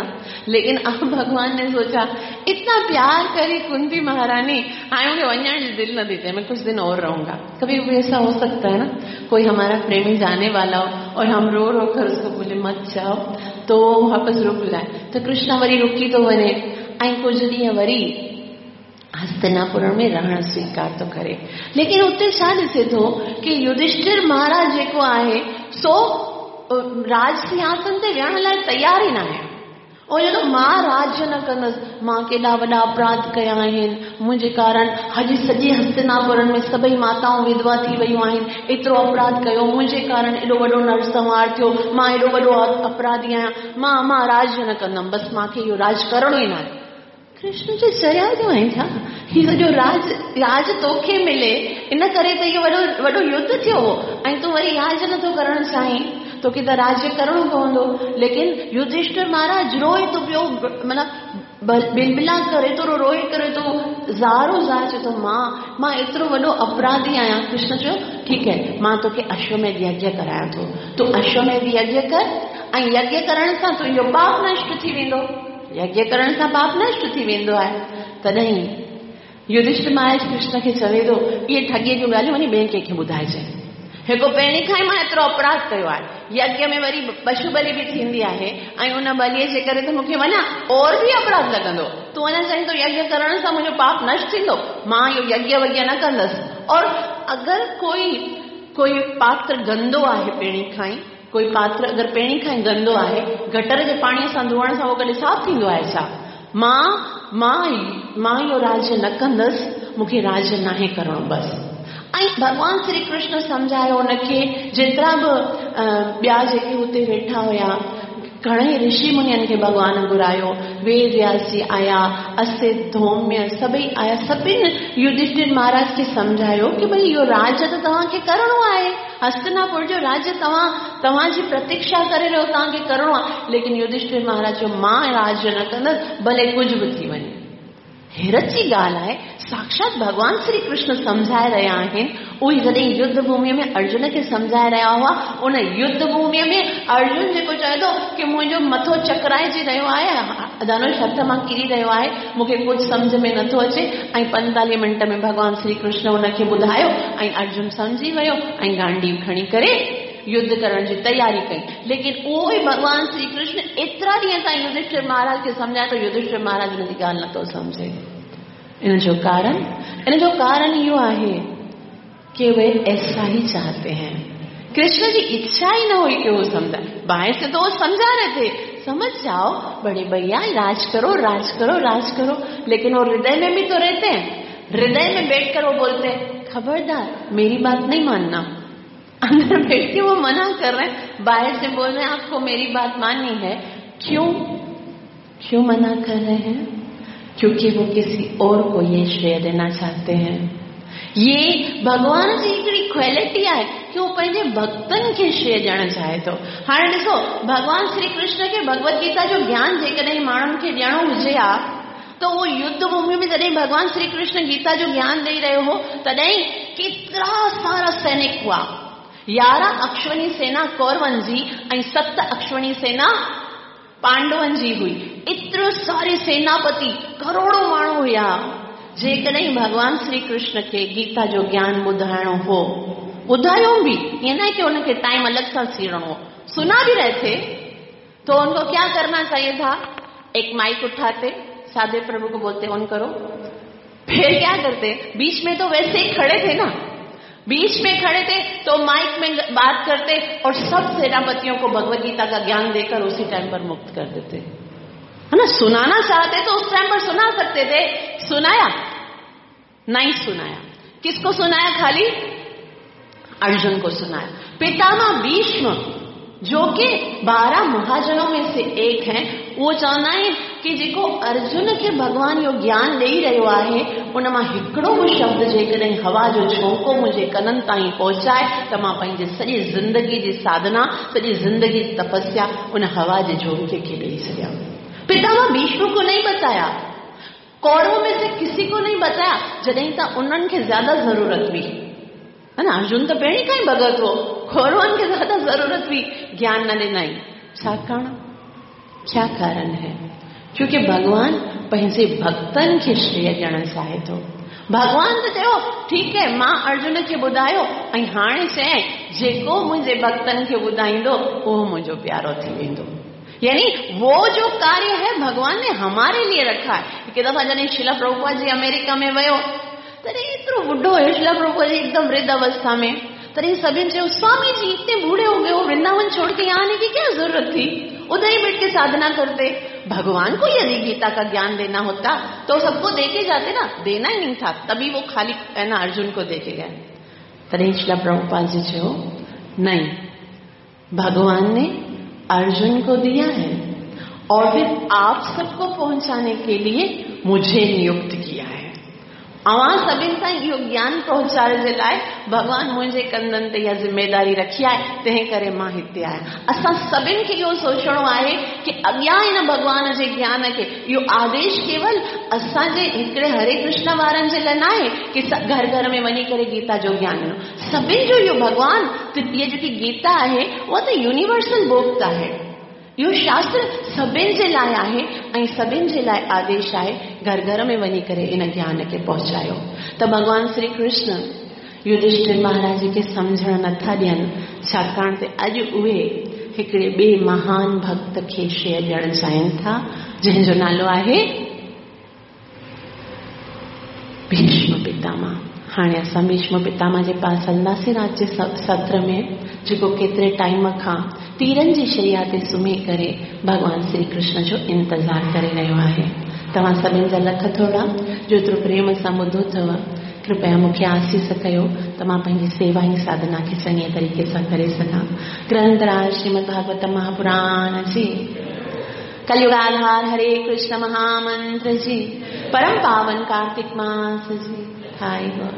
लेकिन अब भगवान ने सोचा इतना प्यार करी कुंती महारानी, हाणे मूंखे वञण जी दिलि नथी थिए, मैं कुछ दिन और रहूंगा। कभी कभी ऐसा हो सकता है ना, कोई हमारा प्रेमी जाने वाला हो और हम रो रो कर उसको बोले मत जाओ, तो वापस रुक जाए। तो कृष्ण वरी रुकी थो वञे ऐं कुझु ॾींहं वरी हस्तिनापुर में रहण स्वीकार थो करे। लेकिन उते छा ॾिसे थो की युधिष्ठिर महाराज जेको आहे सो राज सिंहासन ते वेहण लाइ तयारु ई न आहे। ऐं चए थो मां राज्य न कंदुसि, मां केॾा वॾा अपराध कया आहिनि, मुंहिंजे कारण अॼु सॼे हस्तिनापुर में सभई माताऊं विधवा थी वयूं आहिनि, एतिरो अपराध कयो, मुंहिंजे कारण एॾो वॾो नरसंहार थियो, मां एॾो वॾो अपराधी आहियाँ, मां मां राज्य न कंदमि, बसि मूंखे इहो राज करिणो ई न आहे। कृष्ण चए चरिया जो आहीं छा, हीउ सॼो राज राज तोखे मिले इन करे त इहो वॾो वॾो युद्ध थियो हो, ऐं तूं वरी राज नथो करणु चाहीं, तोखे त राज्य करिणो पवंदो। लेकिन युधिष्ठिर महाराज रोए थो पियो, माना बिलबिला करे थो, रोए करे थो, ज़ारो ज़ार चए थो, मां मां एतिरो वॾो अपराधी आहियां। कृष्ण चयो ठीकु आहे, मां तोखे अश्वमेध यज्ञ करायां थो, तूं अश्वमेध यज्ञ कर ऐं यज्ञ करण सां तुंहिंजो पाप नष्ट थी वेंदो। यज्ञ करण सां पाप नष्ट थी वेंदो आहे। तॾहिं युधिष्ठिर महाराज कृष्ण खे चवे थो, इहे ठॻीअ जूं ॻाल्हियूं वञी ॿिए कंहिंखे ॿुधाइजे। हिकु पहिरीं खां ई मां एतिरो अपराध कयो आहे, यज्ञ में वरी पशु बलि बि थींदी आहे ऐं उन बलिअ जे करे त मूंखे वञा और बि अपराध लॻंदो। तूं वञा चाहीं थो यज्ञ करण सां मुंहिंजो पाप नष्ट थींदो, मां इहो यज्ञ वज्ञ न कंदसि। और अगरि कोई कोई पात्र गंदो आहे पहिरीं खां ई, कोई पात्र अगरि पहिरीं खां ई गंदो आहे, गटर जे पाणीअ सां धोअण सां उहो कॾहिं साफ़ थींदो आहे छा? मां मां मां इहो राज्य न कंदसि, मूंखे राज्य नाहे करिणो बसि। ऐं भॻवान श्री कृष्ण सम्झायो हुनखे, जेतिरा बि ॿिया जेके हुते वेठा हुया, घणेई ऋषि मुनियुनि खे भॻवान घुरायो, वेद व्यास जी आया, असित धौम्य सभई आया, सभिनी युधिष्ठिर महाराज खे सम्झायो की भई इहो राज्य त तव्हांखे करिणो आहे, हस्तिनापुर जो राज्य तव्हां तव्हांजी प्रतीक्षा करे रहियो, तव्हांखे करिणो आहे। लेकिन युधिष्ठिर महाराज चयो मां राज्य न कंदसि, भले कुझु बि थी वञे। हैरत जी ॻाल्हि आहे, साक्षात भॻवान श्री कृष्ण सम्झाए रहिया आहिनि। उहे जॾहिं युद्ध भूमिअ में अर्जुन खे सम्झाए रहिया हुआ, उन युद्ध भूमिअ में अर्जुन जेको चए थो की मुंहिंजो मथो चकराइजी रहियो आहे, धनुष हथ मां किरी रहियो आहे, मूंखे कुझु सम्झ में नथो अचे। ऐं 45 मिंट में भॻवान श्री कृष्ण हुनखे ॿुधायो ऐं अर्जुन सम्झी वियो ऐं गांडी खणी करे युद्ध करण जी तयारी कई। लेकिन उहो ई भॻवान श्री कृष्ण एतिरा ॾींहं ताईं युधिष्ठिर महाराज खे सम्झाए थो, युधिष्ठिर महाराज हुनजी ॻाल्हि नथो सम्झे। इन जो कारण इहो आहे कि वे ऐसा ही चाहते हैं। कृष्ण जी इच्छा ही न हुई कि वो समझा, बाहर से तो वो समझा रहे थे, समझ जाओ बड़े भैया, राज करो राज करो राज करो, लेकिन वो हृदय में भी तो रहते हैं। हृदय में बैठकर वो बोलते हैं खबरदार मेरी बात नहीं मानना। अंदर बैठ के वो मना कर रहे हैं, बाहर से बोल रहे हैं आपको मेरी बात माननी है। क्यों क्यों मना कर रहे हैं? क्योंकि वो किसी और को ये श्रेय देना चाहते हैं। ये भॻवान जी हिकिड़ी क्वालिटी आहे की हू पंहिंजे भक्तनि खे श्रेय ॾियणु चाहे थो। हाणे ॾिसो, भॻवान श्री कृष्ण खे भगवत गीता जो ज्ञान जेकॾहिं माण्हुनि खे ॾियणो हुजे हा त उहो युद्ध भूमि में जॾहिं भॻवान श्री कृष्ण गीता जो ज्ञान ॾेई रहियो हो, तॾहिं केतिरा सारा सैनिक हुआ। 11 अक्षवणी सेना कौरवनि जी ऐं 7 अक्षवणी सेना पांडवनि जी हुई। एतिरो सारे सेनापति, करोड़ों माण्हू हुया। जेकॾहिं भॻवान श्री कृष्ण खे गीता जो ज्ञान ॿुधाइणो हो, ॿुधायो बि, ईअं न आहे की हुनखे टाइम अलॻि सां सीड़णो हो, सुना भी रहे थे, तो उनको क्या करना चाहिए था? एक माइक उठाते, साधे प्रभु को बोलते ऑन करो। फिर क्या करते, बीच में तो वैसे ही खड़े थे ना, बीच में खड़े थे तो माइक में बात करते और सब सेनापतियों को भगवत गीता का ज्ञान देकर उसी टाइम पर मुक्त कर देते, है ना। सुनाना चाहते तो उस टाइम पर सुना सकते थे। सुनाया नहीं? सुनाया। किसको सुनाया? खाली अर्जुन को सुनाया। पितामह भीष्म जो कि 12 महाजनों में से एक हैं, वो चवंदा आहिनि की जेको अर्जुन खे भॻवान इहो ज्ञान ॾेई रहियो आहे, उन मां हिकिड़ो बि शब्द जेकॾहिं हवा जो झोंको मुंहिंजे कननि ताईं पहुचाए त मां पंहिंजी सॼी ज़िंदगी जी साधना, सॼी ज़िंदगी जी तपस्या उन हवा जे झोंके खे ॾेई छॾियां। पितामह भीष्म को नहीं बताया, कौरवों में से किसी को नहीं बताया, जॾहिं त उन्हनि खे ज़्यादा ज़रूरत हुई, है ना। अर्जुन त पहिरीं खां ई भगत हो, कौरवनि खे ज़्यादा ज़रूरत हुई, ज्ञान न ॾिनई। छाकाणि क्या कारण है? क्योंकि भॻवान पंहिंजे भक्तनि खे श्रेय ॾियणु चाहे थो। भॻवान त चयो ठीक है, मां अर्जुन खे ॿुधायो ऐं हाणे चयईं जेको मुंहिंजे भक्तनि खे ॿुधाईंदो उहो मुंहिंजो प्यारो थी वेंदो। यानी वो जो कार्य है भगवान ने हमारे लिए रखा है। हिकु दफ़ा जॾहिं शिला प्रभुपाद जी अमेरिका में वियो, तॾहिं एतिरो ॿुढो हुयो शिला प्रभुपाद जी, एकदम वृद्ध अवस्था में। तॾहिं सभिनी चयो स्वामी जी इतने बूढ़े हो गए हो, वृंदावन छोड़ के यहाँ आने की क्या जरूरत थी, उधर ही बैठ के साधना करते। भगवान को यदि गीता का ज्ञान देना होता तो सबको देके जाते ना, देना ही नहीं था, तभी वो खाली है ना अर्जुन को देके गए। तॾहिं शिला प्रभुपाद जी चयो नहीं, भगवान ने अर्जुन को दिया है और फिर आप सबको पहुंचाने के लिए मुझे नियुक्त किया है। اوهان سڀني تائين اهو گيان پهچائڻ جي لاءِ ڀڳوان منهنجي ڪنڌن تي اها ذميداري رکي آهي، تنهن ڪري مان هتي آهيان. اسان سڀني کي اهو سوچڻو آهي ڪه اڳيان هن ڀڳوان جي گيان کي، اهو آديش ڪيول اسان جي هڪڙي هري ڪرشن وارن جي لاءِ ناهي ڪه گهر گهر ۾ وڃي ڪري گيتا جو گيان ڏنو. سڀني جو اهو ڀڳوان ته اها جيڪي گيتا آهي اها ته يونيورسل بڪ آهي. اهو شاستر سڀني جي لاءِ آهي ۽ سڀني جي لاءِ آديش آهي گهر گهر ۾ وڃي ڪري ان گيان کي پهچايو. ته ڀڳوان شري ڪرشن يڌشٺر مهاراج کي سمجهڻ نٿا ڏين، ڇاڪاڻ ته اڄ اهي هڪڙي ٻئي مهان ڀڪت کي شيءِ ڏيڻ چاهين ٿا، جنهن جو نالو آهي ڀيشم پتاما. هاڻي اسان ڀيشم پتاما جي پاس هلنداسين رات جي ستر ۾، جيڪو ڪيتري ٽائيم کان تيرن جي شيا تي سمهي ڪري ڀڳوان شري ڪرشن جو انتظار ڪري رهيو آهي. توهان سڀني جا لک ٿورا جو ايترو پريم سان ٻڌو اٿو. ڪرپيا مون کي آسيس ڪيو ته مان پنهنجي سيوا ۽ ساڌنا کي چڱي طريقي سان ڪري سگهان. گرنٿراج شريمد ڀاڳوت مهاپراڻ جي، ڪليگاڌار هري ڪرشن مهامنتر جي، پرم پاون ڪارتڪ ماس جي، هائي گود.